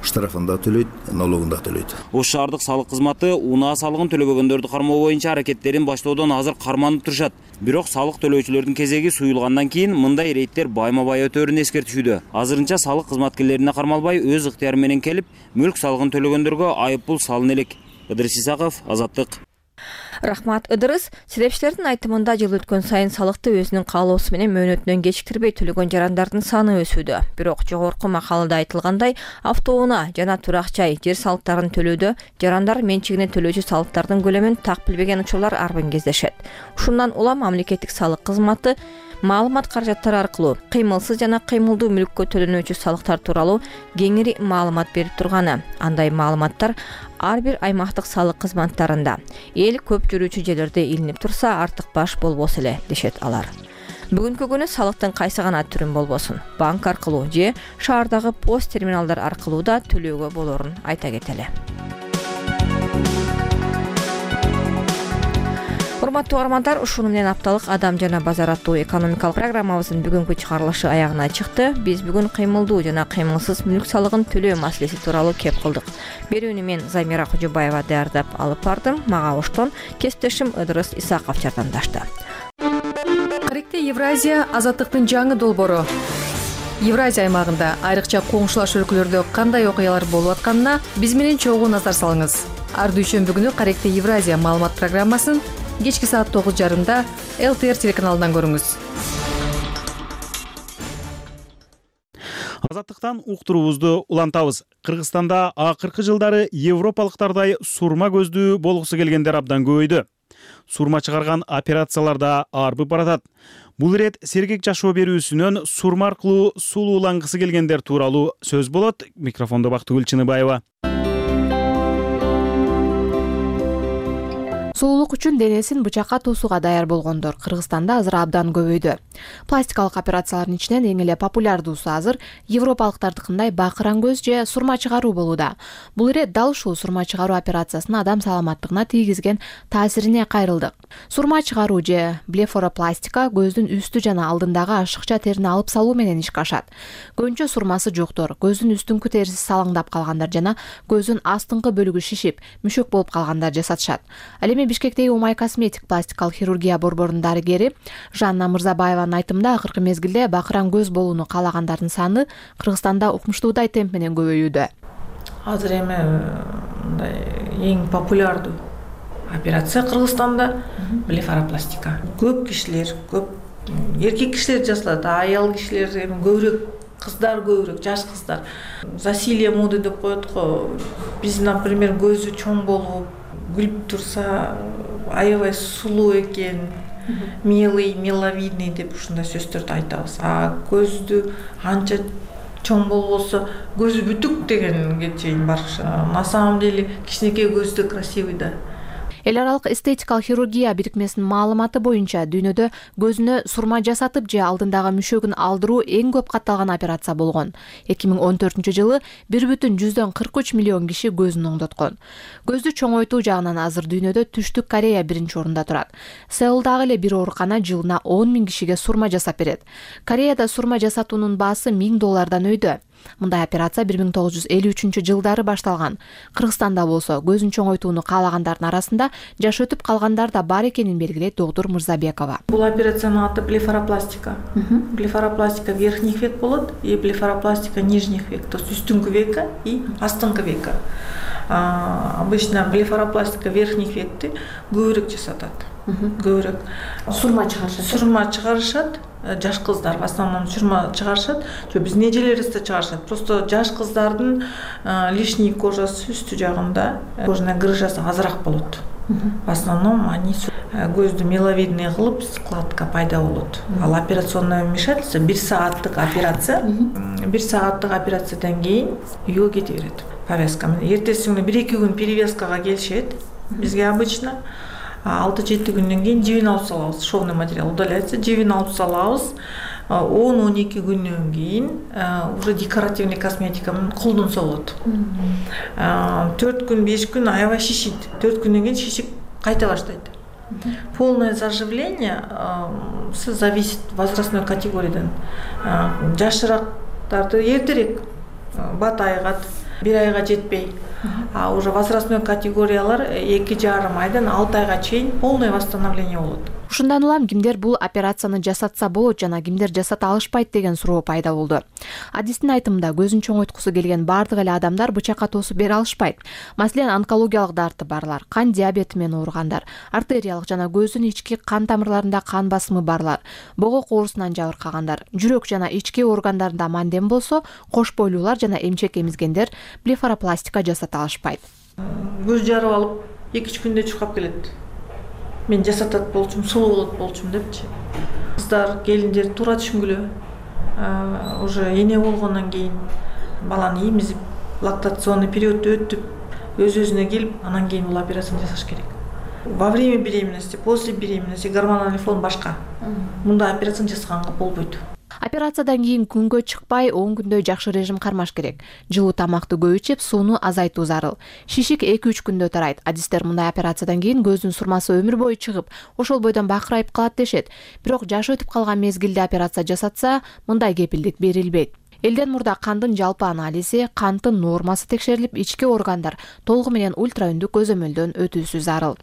штрафын да төлөйт, налогун да төлөйт. Ош шаардык салык кызматы унаа салыгын төлөбөгөндөрдү кармоо боюнча аракеттерин баштоодон азыр карманып турушат. Бирок салык төлөөчүлөрдүн кезеги суюлгандан кийин мындай рейдтер байма-бай өтөөрүн эскертишүүдө. Азырынча салык кызматкерлерине кармалбай өз ыктыяры менен келип, мүлк салыгын төлөгөндөргө айып пул салына элек. Ыдырыс Исаков, Азаттык. Рахмат, Ыдырыс. Серепчилердин айтымында жыл өткөн сайын салыкты өзүнүн каалоосу менен мөөнөтүнөн кечиктирбей төлөгөн жарандардын саны өсүүдө. Бирок жогорку макалада айтылгандай, автоунаа жана турак жай, жер салыктарын төлөөдө жарандар менчигине төлөөчү салыктардын көлөмүн так билбеген учурлар арбын кездешет. Ушундан улам мамлекеттик салык кызматы маалымат каражаттары аркылуу кыймылсыз жана кыймылдуу мүлккө төлөнүүчү салыктар тууралуу кеңири маалымат берип турганы. Андай маалыматтар ар бир аймактык салык кызматтарында эл көп жүрүүчү жерлерде илинип турса артык баш болбосо эле, дешет алар. Бүгүнкү күнү салыктын кайсы гана түрүн болбосун, банк аркылуу же шаардагы пост терминалдар аркылуу да төлөөгө болорун айта кетели. Урматтуу угармандар, ушуну менен апталык Адам жана базар аттуу экономикалык программабыздын бүгүнкү чыгарылышы аягына чыкты. Биз бүгүн кыймылдуу жана кыймылсыз мүлк салыгын төлөө маселеси тууралуу кеп кылдык. Берүүнү мен Замира Кожобаева даярдап алып бардым. Мага оштон кесиптешим Ыдырыс Исаков жардамдашты. Каректе Евразия азаттыктын жаңы долбоору. Евразия аймагында айрыкча коңшулаш өлкөлөрдө кандай окуялар болуп атканына биз менен чогуу назар салыңыз. Ар дүйшөмбү күнү Каректе Евразия маалымат программасын кечки саат 9:30 ЛТР телеканалынан көрүңүз. Азаттыктан уктуруубузду улантабыз. Кыргызстанда акыркы жылдары европалыктардай сурма көздүү болгусу келгендер абдан көбөйдү. сурма чыгарган операциялар да арбып баратат. Бул ирет сергек жашоо берүүсүнөн сурма аркылуу сулуулангысы келгендер тууралуу сөз болот. Микрофондо Бактыгүл Чыныбаева. Сулуулук үчүн денесин бычакка туусуга даяр болгондор Кыргызстанда азыр абдан көбөйдү. Пластикалык операциялардын ичинен эң эле популярдуусу азыр европалыктардыкындай бакыран көз же сурма чыгаруу болууда. Бул ирет дал ушул сурма чыгаруу операциясынын адам саламаттыгына тийгизген таасирине кайрылдык. Сурма чыгаруу же блефаропластика көздүн үстү жана алдындагы ашыкча терини алып салуу менен ишке ашат. Көбүнчө сурмасы жоктор, көздүн үстүңкү териси салаңдап калгандар жана көздүн астыңкы бөлүгү шишип, мүшөк болуп калгандар жасатышат. Ал эми Бишкектеги Умай косметик пластикалык хирургия борборунун дарыгери Жанна Мырзабаеванын айтымында акыркы мезгилде бакыран көз болууну каалагандардын саны Кыргызстанда укмуштуудай темп менен көбөйүүдө. Азыр эми мындай эң популярдуу операция Кыргызстанда блефаропластика. Көп кишилер, көп эркек кишилер жасалат, аял кишилер эми көбүрөөк, кыздар көбүрөөк, жаш кыздар. Засилие моды деп коет го. Биз, например, көзү чоң болуп, күлүп турса, аябай сулуу экен, милый, миловидный деп ушундай сөздөрдү айтабыз. Көздү анча чоң болбосо, көзү бүтүк дегенге чейин барышат. На самом деле кичинекей көздү красивый да. Эл аралык эстетикалык хирургия бирикмесинин маалыматы боюнча дүйнөдө көзүнө сурма жасатып же алдындагы мүшөгүн алдыруу эң көп катталган операция болгон. 2014-жылы 1,43 миллион киши көзүн оңдоткон. Көздү чоңойтуу жагынан азыр дүйнөдө Түштүк Корея биринчи орунда турат. Сеулдагы эле бир оорукана жылына 10 000 кишиге сурма жасап берет. Кореяда сурма жасатуунун баасы $1000 өйдө. Мындай операция 1953-жылдары башталган. Кыргызстанда болсо көзүн чоңойтууну каалагандардын арасында жаш өтүп калгандар да бар экенин белгилейт доктор Мырзабекова. Бул операциянын аты блефаропластика. Блефаропластика верхних век болот и блефаропластика нижних век, то есть үстүңкү века и астыңкы века. Обычно блефаропластика верхних векти көбүрөөк жасатат. Көбүрөөк сурма чыгарышат. Жаш кыздар в основном сурма чыгарышат. Биздин эжелерибиз да чыгарышат. Просто жаш кыздардын лишний кожасы үстү жагында кожная грыжасы азыраак болот. В основном они көздү миловидный кылып, складка пайда болот. Ал операционное вмешательство 1 сааттык операция. 1 сааттык операциядан кийин үйгө кете берет. Повязка менен. Эртеси күнү 1-2 күн перевязкага келишет. Бизге обычно 6-7 күндөн кийин жибин алып салабыз. Шовный материал удаляется, жибин алып салабыз. 10-12 күндөн кийин уже декоративный косметика менен колдонсо болот. 4 күн, 5 күн аябай шишит. 4 күндөн кийин шишип кайта баштайт. Полное заживление зависит возрастной категориядан. Жашыраактарды эртерээк бат айгат, 1 айга жетпей. А уже возрастной категориялар 2,5 айдан 6 айга чейин полное восстановление болот. Ушундан улам кимдер бул операцияны жасатса болот жана кимдер жасата алышпайт деген суроо пайда болду. Адистин айтымында көзүн чоңойткусу келген бардык эле адамдар бычакка тоосуп бере алышпайт. Маселен, онкологиялык дарты барлар, кан диабети менен ооругандар, артериялык жана көздүн ички кан тамырларында кан басымы барлар, богок оорусунан жабыркагандар, жүрөк жана ички органдарында мандем болсо, кош бойлуулар жана эмчек эмизгендер блефаропластика жасата алышпайт. Көз жарып алып 2-3 күндө чуркап келет. Мен жасатат болчумун, сулуу болот болчумун депчи. Кыздар, келиндер туура түшүнгүлө. Уже эне болгондон кийин баланы эмизип, лактационный периодду өтүп, өз-өзүнө келип, анан кийин бул операцияны жасаш керек. Во время беременности, после беременности гормональный фон башка. Мындай операцияны жасаганга болбойт. Операциядан кийин күнгө чыкпай 10 күндөй жакшы режим кармаш керек. Жылуу тамакты көп ичип, сууну азайтуу зарыл. Шишик 2-3 күндө тарайт. Адистер мындай операциядан кийин көздүн сурмасы өмүр бою чыгып, ошол бойдон бакырайып калат дешет. Бирок жаш өтүп калган мезгилде операция жасатса, мындай кепилдик берилбейт. Элден мурда кандын жалпы анализи, канттын нормасы текшерилип, ички органдар толугу менен ультраүндүк көзөмөлдөн өтүүсү зарыл.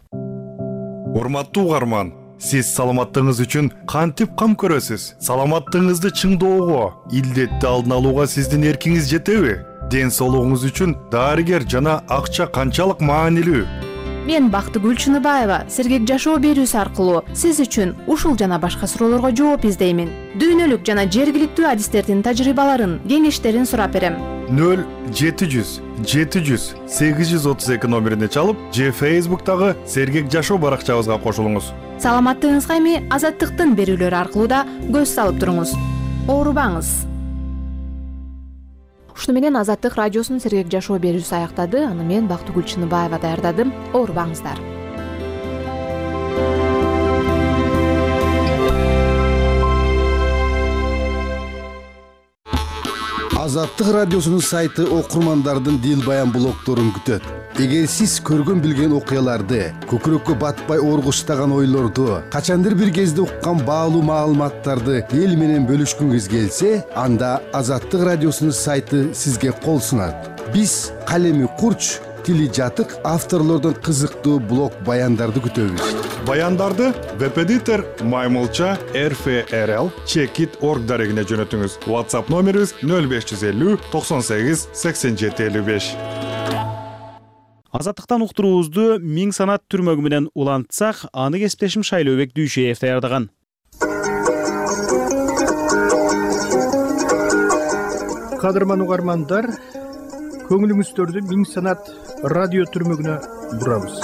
Урматтуу угарман, сиз саламаттыгыңыз үчүн кантип кам көрөсүз? Саламаттыгыңызды чыңдоого, илдетти алдын алууга сиздин эркиңиз жетеби? Ден соолугуңуз үчүн дарыгер жана акча канчалык маанилүү? Мен Бактыгүл Чыныбаева сергек жашоо берүүсү аркылуу сиз үчүн ушул жана башка суроолорго жооп издеймин. Дүйнөлүк жана жергиликтүү адистердин тажрыйбаларын, кеңештерин сурап берем. 0700 700 832 номерине чалып же Facebook'тагы Сергек Жашоо баракчабызга кошулуңуз. Саламаттыгыңызга эми Азаттыктын берүүлөрү аркылуу да көз салып туруңуз. Оорубаңыз. Ушуну менен Азаттык радиосунун Сергек Жашоо берүүсү аяктады. Аны мен Бактыгүл Чыныбаева даярдадым. Оорубаңыздар. Азаттык радиосунун сайты окурмандардын дил баян блогдорун күтөт. Эгер сиз көргөн билген окуяларды, көкүрөккө батпай оргуштаган ойлорду, качандыр бир кезде уккан баалуу маалыматтарды эл менен бөлүшкүңүз келсе, анда Азаттык радиосунун сайты сизге кол сунат. Биз калеми курч, тили жатык авторлордон кызыктуу блог баяндарды күтөбүз. Баяндарды веб-эдитор Маймылча RFRL Checkit.org дарегине жөнөтүңүз. WhatsApp номерибиз 0550 98 87 55. Азаттыктан уктуруубузду Миң санат түрмөгү менен улантсак, аны кесиптешим Шайлообек Дүйшеев даярдаган. Кадырман угармандар, көңүлүңүздөрдү Миң санат радио түрмөгүнө бурабыз.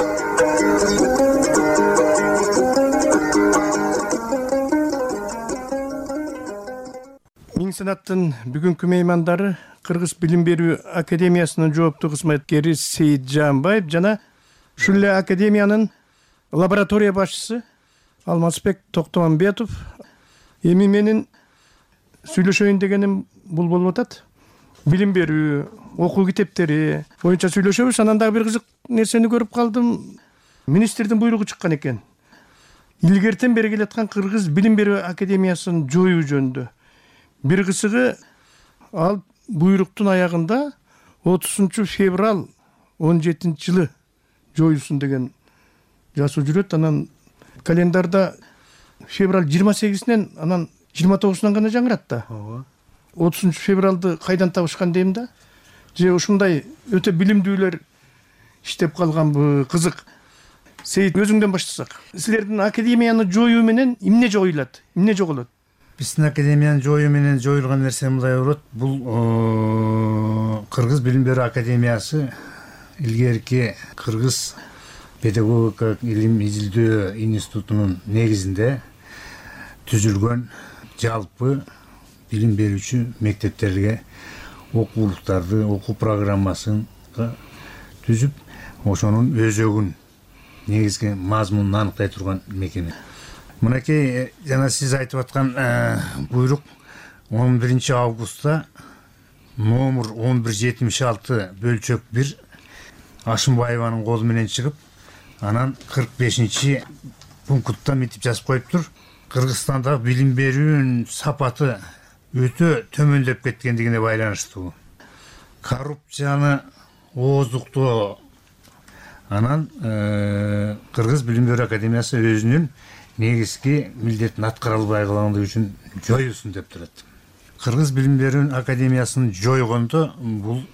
Миң санаттын бүгүнкү меймандары Кыргыз билим берүү академиясынын жооптуу кызматкери Сейит Жаанбаев жана ушул эле академиянын лаборатория башчысы Алмазбек Токтомамбетов. Эми менин сүйлөшөйүн дегеним бул болуп атат. Билим берүү, окуу китептери боюнча сүйлөшөбүз. Анан дагы бир кызык нерсени көрүп калдым. Министрдин буйругу чыккан экен. Илгертен бери келаткан Кыргыз билим берүү академиясын жоюу жөнүндө. Бир кызыгы, ал буйруктун аягында 30 февраль 17-жылы жоюлсун деген жазуу жүрөт. Анан календарда февраль 28-нен, анан 29-нан гана жаңырат да. 30 февралды кайдан табышкан дейм да. Же ушундай өтө билимдүүлөр иштеп калганбы, кызык. Сейит, өзүңдөн баштасак. Силердин академияны жоюу менен эмне жоюлат, эмне жоголот? Биздин академиянын жоюу менен жоюлган нерсе мындай болот. Бул Кыргыз билим берүү академиясы илгерки Кыргыз педагогика илим изилдөө институтунун негизинде түзүлгөн жалпы билим берүүчү мектептерге окуулуктарды, окуу программасын түзүп, ошонун өзөгүн, негизги мазмунун аныктай турган мекеме. Мынакей жана сиз айтып аткан буйрук 11 августта номер 1176 бөлчөк 1 Ашымбаеванын колу менен чыгып, анан 45 пунктта митип жазып коюптур. Кыргызстанда билим берүүнүн сапаты өтө төмөндөп кеткендигине байланыштуу. Коррупцияны ооздуктоо. Анан Кыргыз билим берүү академиясы өзүнүн негизги милдетин аткара албай калгандыгы үчүн жоюусун деп турат. Кыргыз билим берүү академиясын жойгондо бул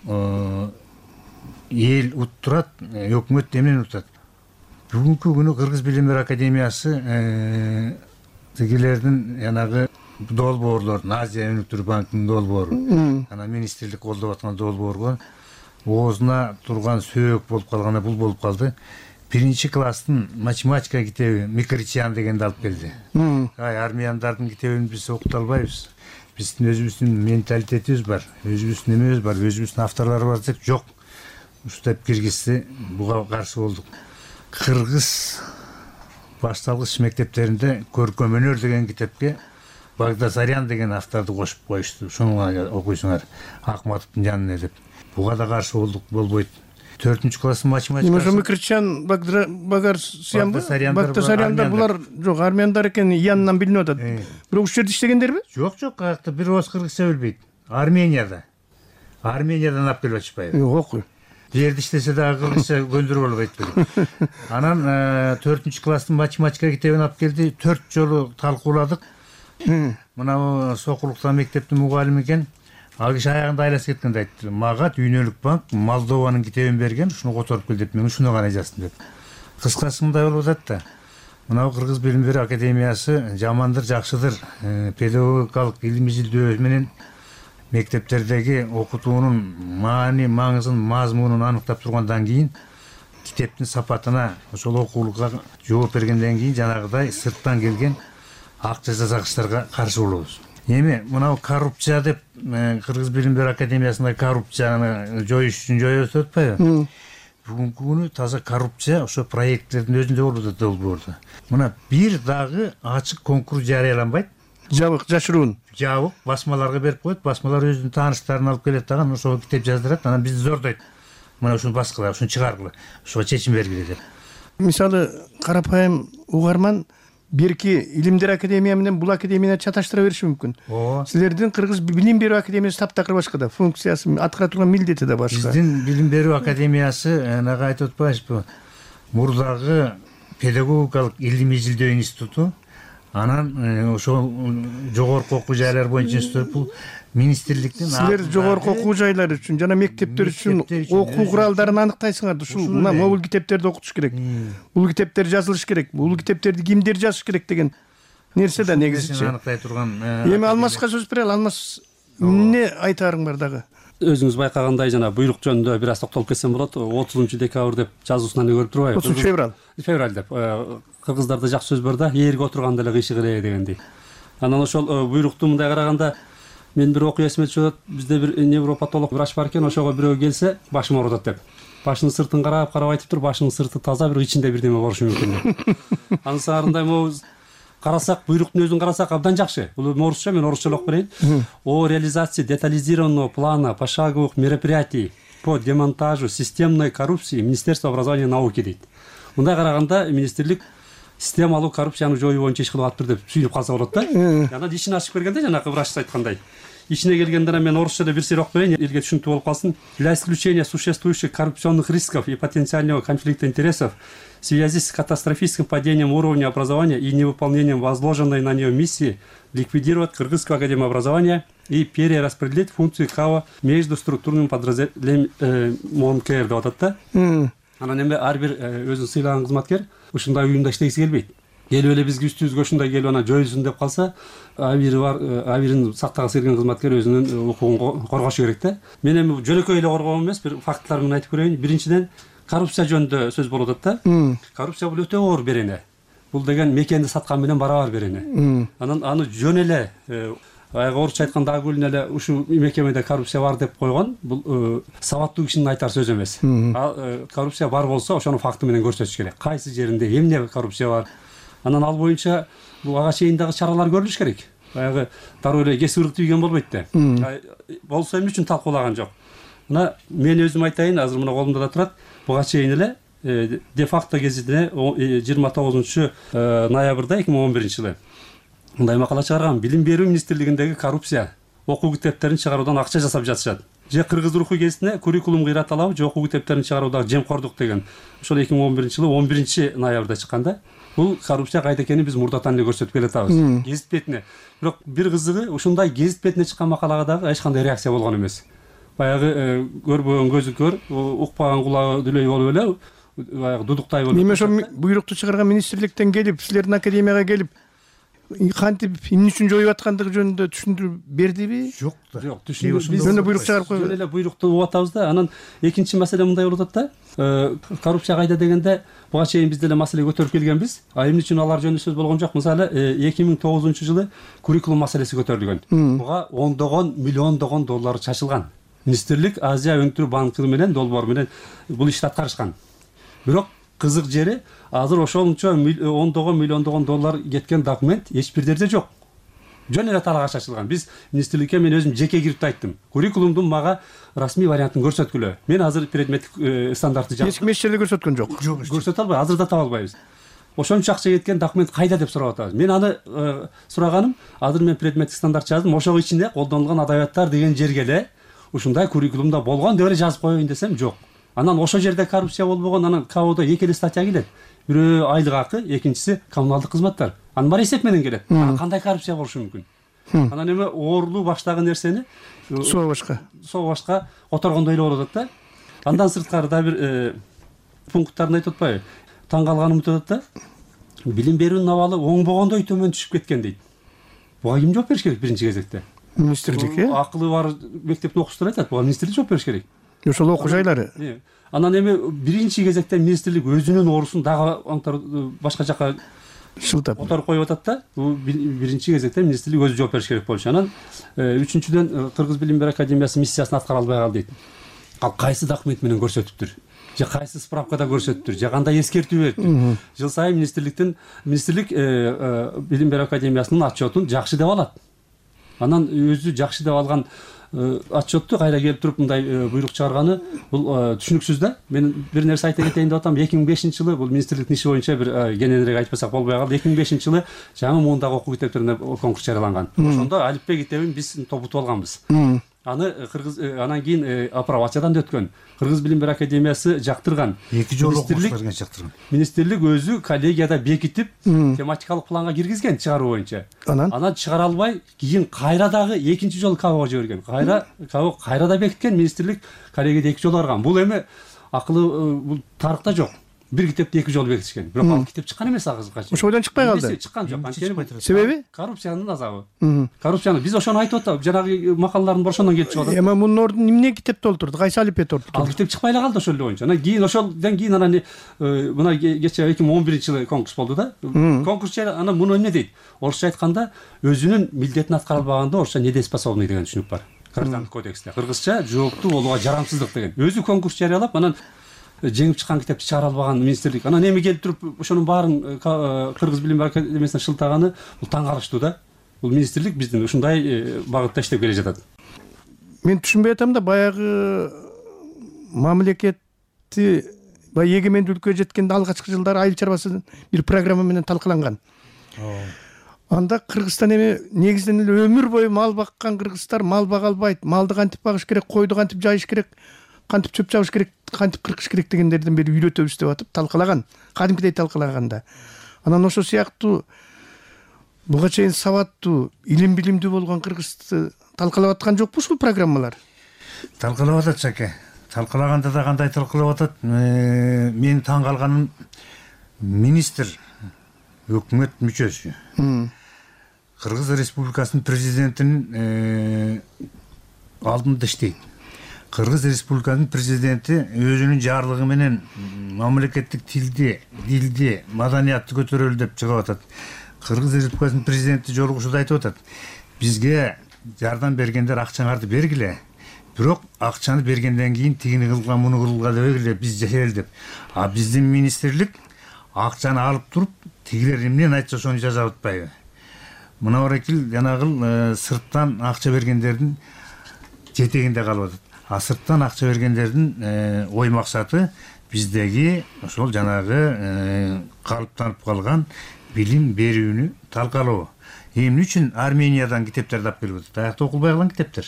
эл уттурат, өкмөт эмнени утат. Бүгүнкү күнү Кыргыз билим берүү академиясы тигилердин янагы долбоорлордун, Азия өнүктүрүү банкынын долбоору, анан министрлик колдоп аткан долбоорго оозуна турган сөөк болуп калганда бул болуп калды. 1-класстын математика китеби Микричян дегенди алып келди. Армияндардын китебин биз окута албайбыз. Биздин өзүбүздүн менталитетибиз бар, өзүбүздүн эмебиз бар, өзүбүздүн авторлор бар десек, жок. Ушунтип киргизди, буга каршы болдук. Кыргыз башталгыч мектептеринде көркөм өнөр деген китепке Багдасарян деген авторду кошуп коюшту. Ошону окуйсуңар, Акматовдун жанына деп. Буга да каршы болдук, болбойт. 4-класс математика. Ошо Микричян, Багдасаряндар булар жок, армяндар экен, янынан билинип атат. Бирок ушул жерде иштегендерби? Жок, каякта бир ооз кыргызча билбейт. Армениядан алып келип атышпайбы? Жок. Жерде иштесе дагы кыргызча көндүрүп алып айтып берет. Анан 4-класстын математика китебин алып келди, 4 жолу талкууладык. Мына Сокулуктан мектептин мугалими экен. Ал киши аягында айласы кеткенде айтты. Мага Дүйнөлүк банк Молдованын китебин берген, ушуну которуп кел деп, мен ушуну гана жаздым деп. Кыскасы мындай болуп атат да. Мына Кыргыз билим берүү академиясы жамандыр, жакшыдыр, педагогикалык илим изилдөө менен мектептердеги окутуунун маани маңызын мазмунун аныктап тургандан кийин китептин сапатына ошол окуулукка жооп бергенден кийин жанагыдай сырттан келген ак жасагычтарга каршы болобуз. Эми мынау коррупция деп Кыргыз билим берүү академиясында коррупцияны жоюш үчүн жоебуз деп атпайбы? Бүгүнкү күнү таза коррупция ошо проекттердин өзүндө болуп атат долбоордо. Мына бир дагы ачык конкурс жарыяланбайт. Жабык, жашыруун. Жабык басмаларга берип коет, басмалар өзүнүн тааныштарын алып келет дагы, ошого китеп жаздырат, анан бизди зордойт. Мына ушуну баскыла, ушуну чыгаргыла, ошого чечим бергиле деп. Мисалы, карапайым угарман берки илимдер академия менен бул академияны чаташтыра бериши мүмкүн. Силердин Кыргыз билим берүү академиясы таптакыр башка да, функциясы, аткара турган милдети да башка. Биздин билим берүү академиясы анага айтып атпайбызбы? Мурдагы педагогикалык илимий изилдөө институту, анан ошол жогорку окуу жайлар боюнча институт, бул министрликтин. Силер жогорку окуу жайлары үчүн жана мектептер үчүн окуу куралдарын аныктайсыңар. Ушул мына могул китептерди окутуш керек. Бул китептер жазылыш керек. Бул китептерди кимдер жазыш керек деген нерсе да негизичи. Аныктай турган. Эми Алмаска сөз берели. Алмас, эмне айтарың бар дагы? Өзүңүз байкагандай жана буйрук жөнүндө бир аз токтолуп кетсем болот. 30-декабрь деп жазуусунан көрүп турбайбы? 30 февраль деп. Кыргыздарда жакшы сөз бар да, ээрге отурганда эле кыйшы кыле дегендей. Анан ошол буйрукту мындай караганда мен бир окуя эсиме түшүп атат. Бизде бир невропатолог врач бар экен, ошого бирөө келсе, башым оорутат деп. Башынын сыртын карап айтып тур, башынын сырты таза, бирок ичинде бирдеме болушу мүмкүн деп. Анын саарындай могу карасак, буйруктун өзүн карасак абдан жакшы. Бул орусча, мен орусча окуп берейин. О реализации детализированного плана пошаговых мероприятий по демонтажу системной коррупции Министерства образования и науки дейт. Мындай караганда министрлик системалуу коррупцияны жоюу боюнча иш кылып атыптыр деп сүйүнүп калса болот да. Анан ишин ачып бергенде жанагы врач айткандай. Ичине келгенде мен орусчада бир сыйр окуп берейин, элге түшүнүктүү болуп калсын. Для исключения существующих коррупционных рисков и потенциального конфликта интересов в связи с катастрофическим падением уровня образования и невыполнением возложенной на нее миссии ликвидировать Кыргызскую академию образования и перераспределить функции КАО между структурными подразделениями МОНКР деп атат да. Анан эми ар бир өзүн сыйлаган кызматкер ушундай уюмда иштегиси келбейт. Келип эле бизге үстүбүзгө ушундай келип анан жоюлсун деп калса, абири бар, абирин сактагысы келген кызматкер өзүнүн укугун коргошу керек да. Мен эми жөнөкөй эле коргоом эмес, бир факттар менен айтып көрөйүн. Биринчиден, коррупция жөнүндө сөз болуп атат да. Коррупция бул өтө оор берене. Бул деген мекенди саткан менен барабар берене. Анан аны жөн эле орусча айтканда агулин эле ушул мекемеде коррупция бар деп койгон, бул сабаттуу кишинин айтар сөзү эмес. Коррупция бар болсо, ошону факты менен көрсөтүш керек. Кайсы жеринде эмне коррупция бар? Анан ал боюнча бул ага чейин дагы чаралар көрүлүш керек. Баягы дароо эле кесип тийген болбойт да. Болсо эмне үчүн талкуулаган жок? Мына мен өзүм айтайын, азыр мына колумда да турат. Буга чейин эле де факто гезитине 29 ноябрда 2011 жылы мындай макала чыгарган. Билим берүү министрлигиндеги коррупция. Окуу китептерин чыгаруудан акча жасап жатышат. Же Кыргыз руху гезитине куррикулум кыйраталабы, же окуу китептерин чыгаруудагы жемкордук деген. Ошол 2011 жылы 11 ноябрда чыкканда. Бул коррупция кайда экенин биз мурдатан эле көрсөтүп келатабыз. Гезит бетине. Бирок бир кызыгы, ушундай гезит бетине чыккан макалага дагы эч кандай реакция болгон эмес. Баягы көрбөгөн көзү көр, укпаган кулагы дүлөй болуп эле, баягы дудуктай болуп. Эми ошо буйрукту чыгарган министрликтен келип, силердин академияга келип, кантип эмне үчүн жоюп аткандыгы жөнүндө түшүндүрүп бердиби? Жок да. Жок, түшүндүрүп. Биз жөн буйрук чыгарып койгон. Жөн эле буйрукту угуп атабыз да. Анан экинчи маселе мындай болуп атат да. Коррупция кайда дегенде, буга чейин биз деле маселе көтөрүп келгенбиз. Эмне үчүн алар жөнүндө сөз болгон жок. Мисалы, 2009 жылы куррикулум маселеси көтөрүлгөн. Буга ондогон, миллиондогон доллар чачылган. Министрлик Азия өнүктүрүү банкы менен долбоор менен бул ишти аткарышкан. Бирок кызык жери, азыр ошончо ондогон, миллиондогон доллар кеткен документ эч бир жерде жок. Жөн эле талаага чачылган. Биз министрликке мен өзүм жеке кирип айттым. Куррикулумдун мага расмий вариантын көрсөткүлө. Мен азыр предметтик стандартты жаздым. Эч ким эч жерде көрсөткөн жок. Көрсөтө албай, азыр да таба албайбыз. Ошончо акча кеткен документ кайда деп сурап атабыз. Мен аны сураганым, азыр мен предметтик стандарт жаздым. Ошого ичинде колдонулган адабияттар деген жерге эле ушундай куррикулумда болгон деп эле жазып коеюн десем, жок. Анан ошол жерде коррупция болбогон, анан КАОдо эки эле статья келет. Бирөө айлык акы, экинчиси коммуналдык кызматтар. Анын баары эсеп менен келет. Кандай коррупция болушу мүмкүн? Анан эми оорлуу баштагы нерсени соо башка которгондой эле болуп атат да. Андан сырткары да бир пункттарын айтып атпайбы? Таң калганым өтүп атат да. Билим берүүнүн абалы оңбогондой төмөн түшүп кеткен дейт. Буга ким жооп бериш керек биринчи кезекте? министрлик акылы бар мектептин окуучусуна айтат, буга министрлик жооп бериш керек. Ошол окуу жайлары. Анан эми биринчи кезекте министрлик өзүнүн оорусун дагы башка жака шылтап которуп коюп атат да. Бул биринчи кезекте министрлик өзү жооп бериш керек болчу. Анан үчүнчүдөн Кыргыз билим берүү академиясы миссиясын аткара албай калды дейт. Ал кайсы документ менен көрсөтүптүр? Же кайсы справкада көрсөтүптүр? Же кандай эскертүү бериптир? Жыл сайын министрлик билим берүү академиясынын отчетун жакшы деп алат. Анан өзү жакшы деп алган отчетту кайра келип туруп мындай буйрук чыгарганы бул түшүнүксүз да. Мен бир нерсе айта кетейин деп атам. 2005-жылы бул министрликтин иши боюнча бир кененирээк айтпасак болбой калды. 2005-жылы жаңы муундагы окуу китептерине конкурс жарыяланган. Ошондо алифбе китебин биз топутуп алганбыз. Аны анан кийин апробациядан өткөн. Кыргыз билим берүү академиясы жактырган. 2 жолу окуучуларга жактырган. Министрлик өзү коллегияда бекитип, тематикалык планга киргизген чыгаруу боюнча. Анан чыгара албай, кийин кайра дагы экинчи жолу КАБга жиберген. Кайрада бекиткен, министрлик коллегияда 2 жолу барган. Бул эми акылы бул тарыхта жок. Бир китепти 2 жолу бекитишкен. Бирок ал китеп чыккан эмес азыркыга чейин. Ошодон чыкпай калды. Чыккан жок. Себеби? Коррупциянын азабы. Коррупцияны биз ошону айтып атабыз. Жанагы макалалардын бир ошондон келип чыгып атат. Эми мунун ордуна эмне китеп толтурду? Кайсы алипе толтурду? Ал китеп чыкпай эле калды ошол эле боюнча. Анан кийин ошолдон кийин анан мына кече 2011-жылы конкурс болду да. Конкурс анан муну эмне дейт? Орусча айтканда өзүнүн милдетин аткара албаганда орусча недееспособный деген түшүнүк бар. Граждандык кодексте. Кыргызча жооптуу болууга жарамсыздык деген. Өзү конкурс жарыялап, анан жеңип чыккан китепти чыгара албаган министрлик. Анан эми келип туруп ошонун баарын Кыргыз билим берүү академиясына шылтаганы бул таң калыштуу да. Бул министрлик биздин ушундай багытта иштеп келе жатат. Мен түшүнбөй атам да, баягы мамлекетти баягы эгемендүүлүккө жеткенде алгачкы жылдары айыл чарбасы бир программа менен талкаланган. Анда Кыргызстан эми негизинен эле өмүр бою мал баккан кыргыздар мал бага албайт. Малды кантип багыш керек, койду кантип жайыш керек, кантип чөп чабыш керек, кантип кыркыш керек дегендерден бери үйрөтөбүз деп атып талкалаган. Кадимкидей талкалаганда. Анан ошол сыяктуу буга чейин сабаттуу, илим билимдүү болгон кыргызды талкалап аткан жокпу ушул программалар? Талкалап атат Жаке. Талкалаганда да кандай талкалап атат? Мен таң калганым министр өкмөт мүчөсү. Кыргыз Республикасынын президентинин алдында иштейт. Кыргыз Республикасынын президенти өзүнүн жарлыгы менен мамлекеттик дилди, маданиятты көтөрөлү деп чыгып атат. Кыргыз Республикасынын президенти жолугушууда айтып атат. Бизге жардам бергендер акчаңарды бергиле. Бирок акчаны бергенден кийин тигини кылган, муну кылган дебегиле, биз жашайлы деп. А биздин министрлик акчаны алып туруп, тигилер эмнени айтса ошону жазап атпайбы? Мына баракил жанагы сырттан акча бергендердин жетегинде калып атат. А сырттан акча бергендердин ой максаты биздеги ошол жанагы калыптанып калган билим берүүнү талкалоо. Эмне үчүн Армениядан китептерди алып келип атат? Аякта окулбай калган китептер.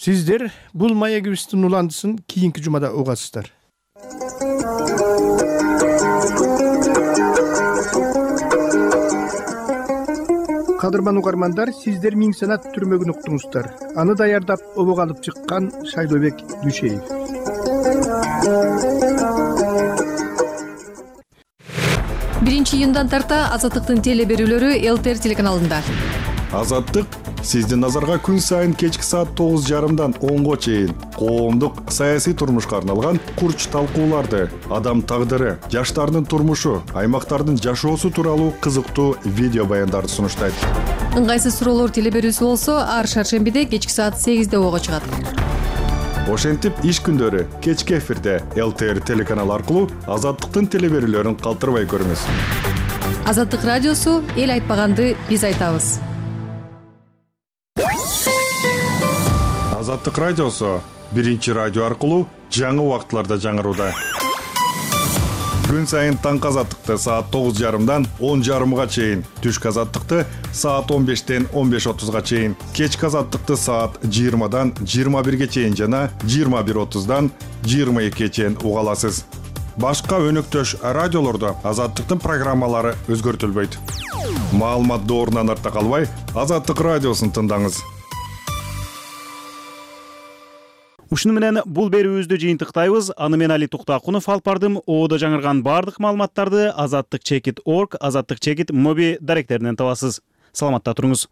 Сиздер бул маегибиздин уландысын кийинки жумада угасыздар. Кадырман угармандар, сиздер Миң санат түрмөгүн уктуңуздар. Аны даярдап обого алып чыккан Шайлообек Дүйшеев. Биринчи июндан тарта Азаттыктын теле берүүлөрү ЛТР телеканалында. Азаттык сиздин назарга күн сайын кечки саат 9:30 10го чейин коомдук саясий турмушка арналган курч талкууларды, адам тагдыры, жаштардын турмушу, аймактардын жашоосу тууралуу кызыктуу видео баяндарды сунуштайт. Ыңгайсыз суроолор теле берүүсү болсо, ар шаршембиде кечки саат 8де ого чыгат. Ошентип иш күндөрү кечки эфирде ЛТР телеканалы аркылуу Азаттыктын теле берүүлөрүн калтырбай көрүңүз. Азаттык радиосу эл айтпаганды биз айтабыз. Азаттык радиосу биринчи радио аркылуу жаңы убактыларда жаңырууда. Күн сайын таңкы Азаттыкты саат 9:30 10:30 чейин, түшкү Азаттыкты саат 15-тен 15:30 чейин, кечки Азаттыкты саат 20-дан 21 чейин жана 21:30-дан 22 чейин уга аласыз. Башка өнөктөш радиолордо Азаттыктын программалары өзгөртүлбөйт. Маалымат доорунан артта калбай, Азаттык радиосун тыңдаңыз. Ушуну менен бул берүүбүздү жыйынтыктайбыз. Аны мен Али Туктакунов алып бардым. Оодо жаңырган бардык маалыматтарды azattikchekit.org, azattikchekit моби даректеринен табасыз. Саламатта туруңуз.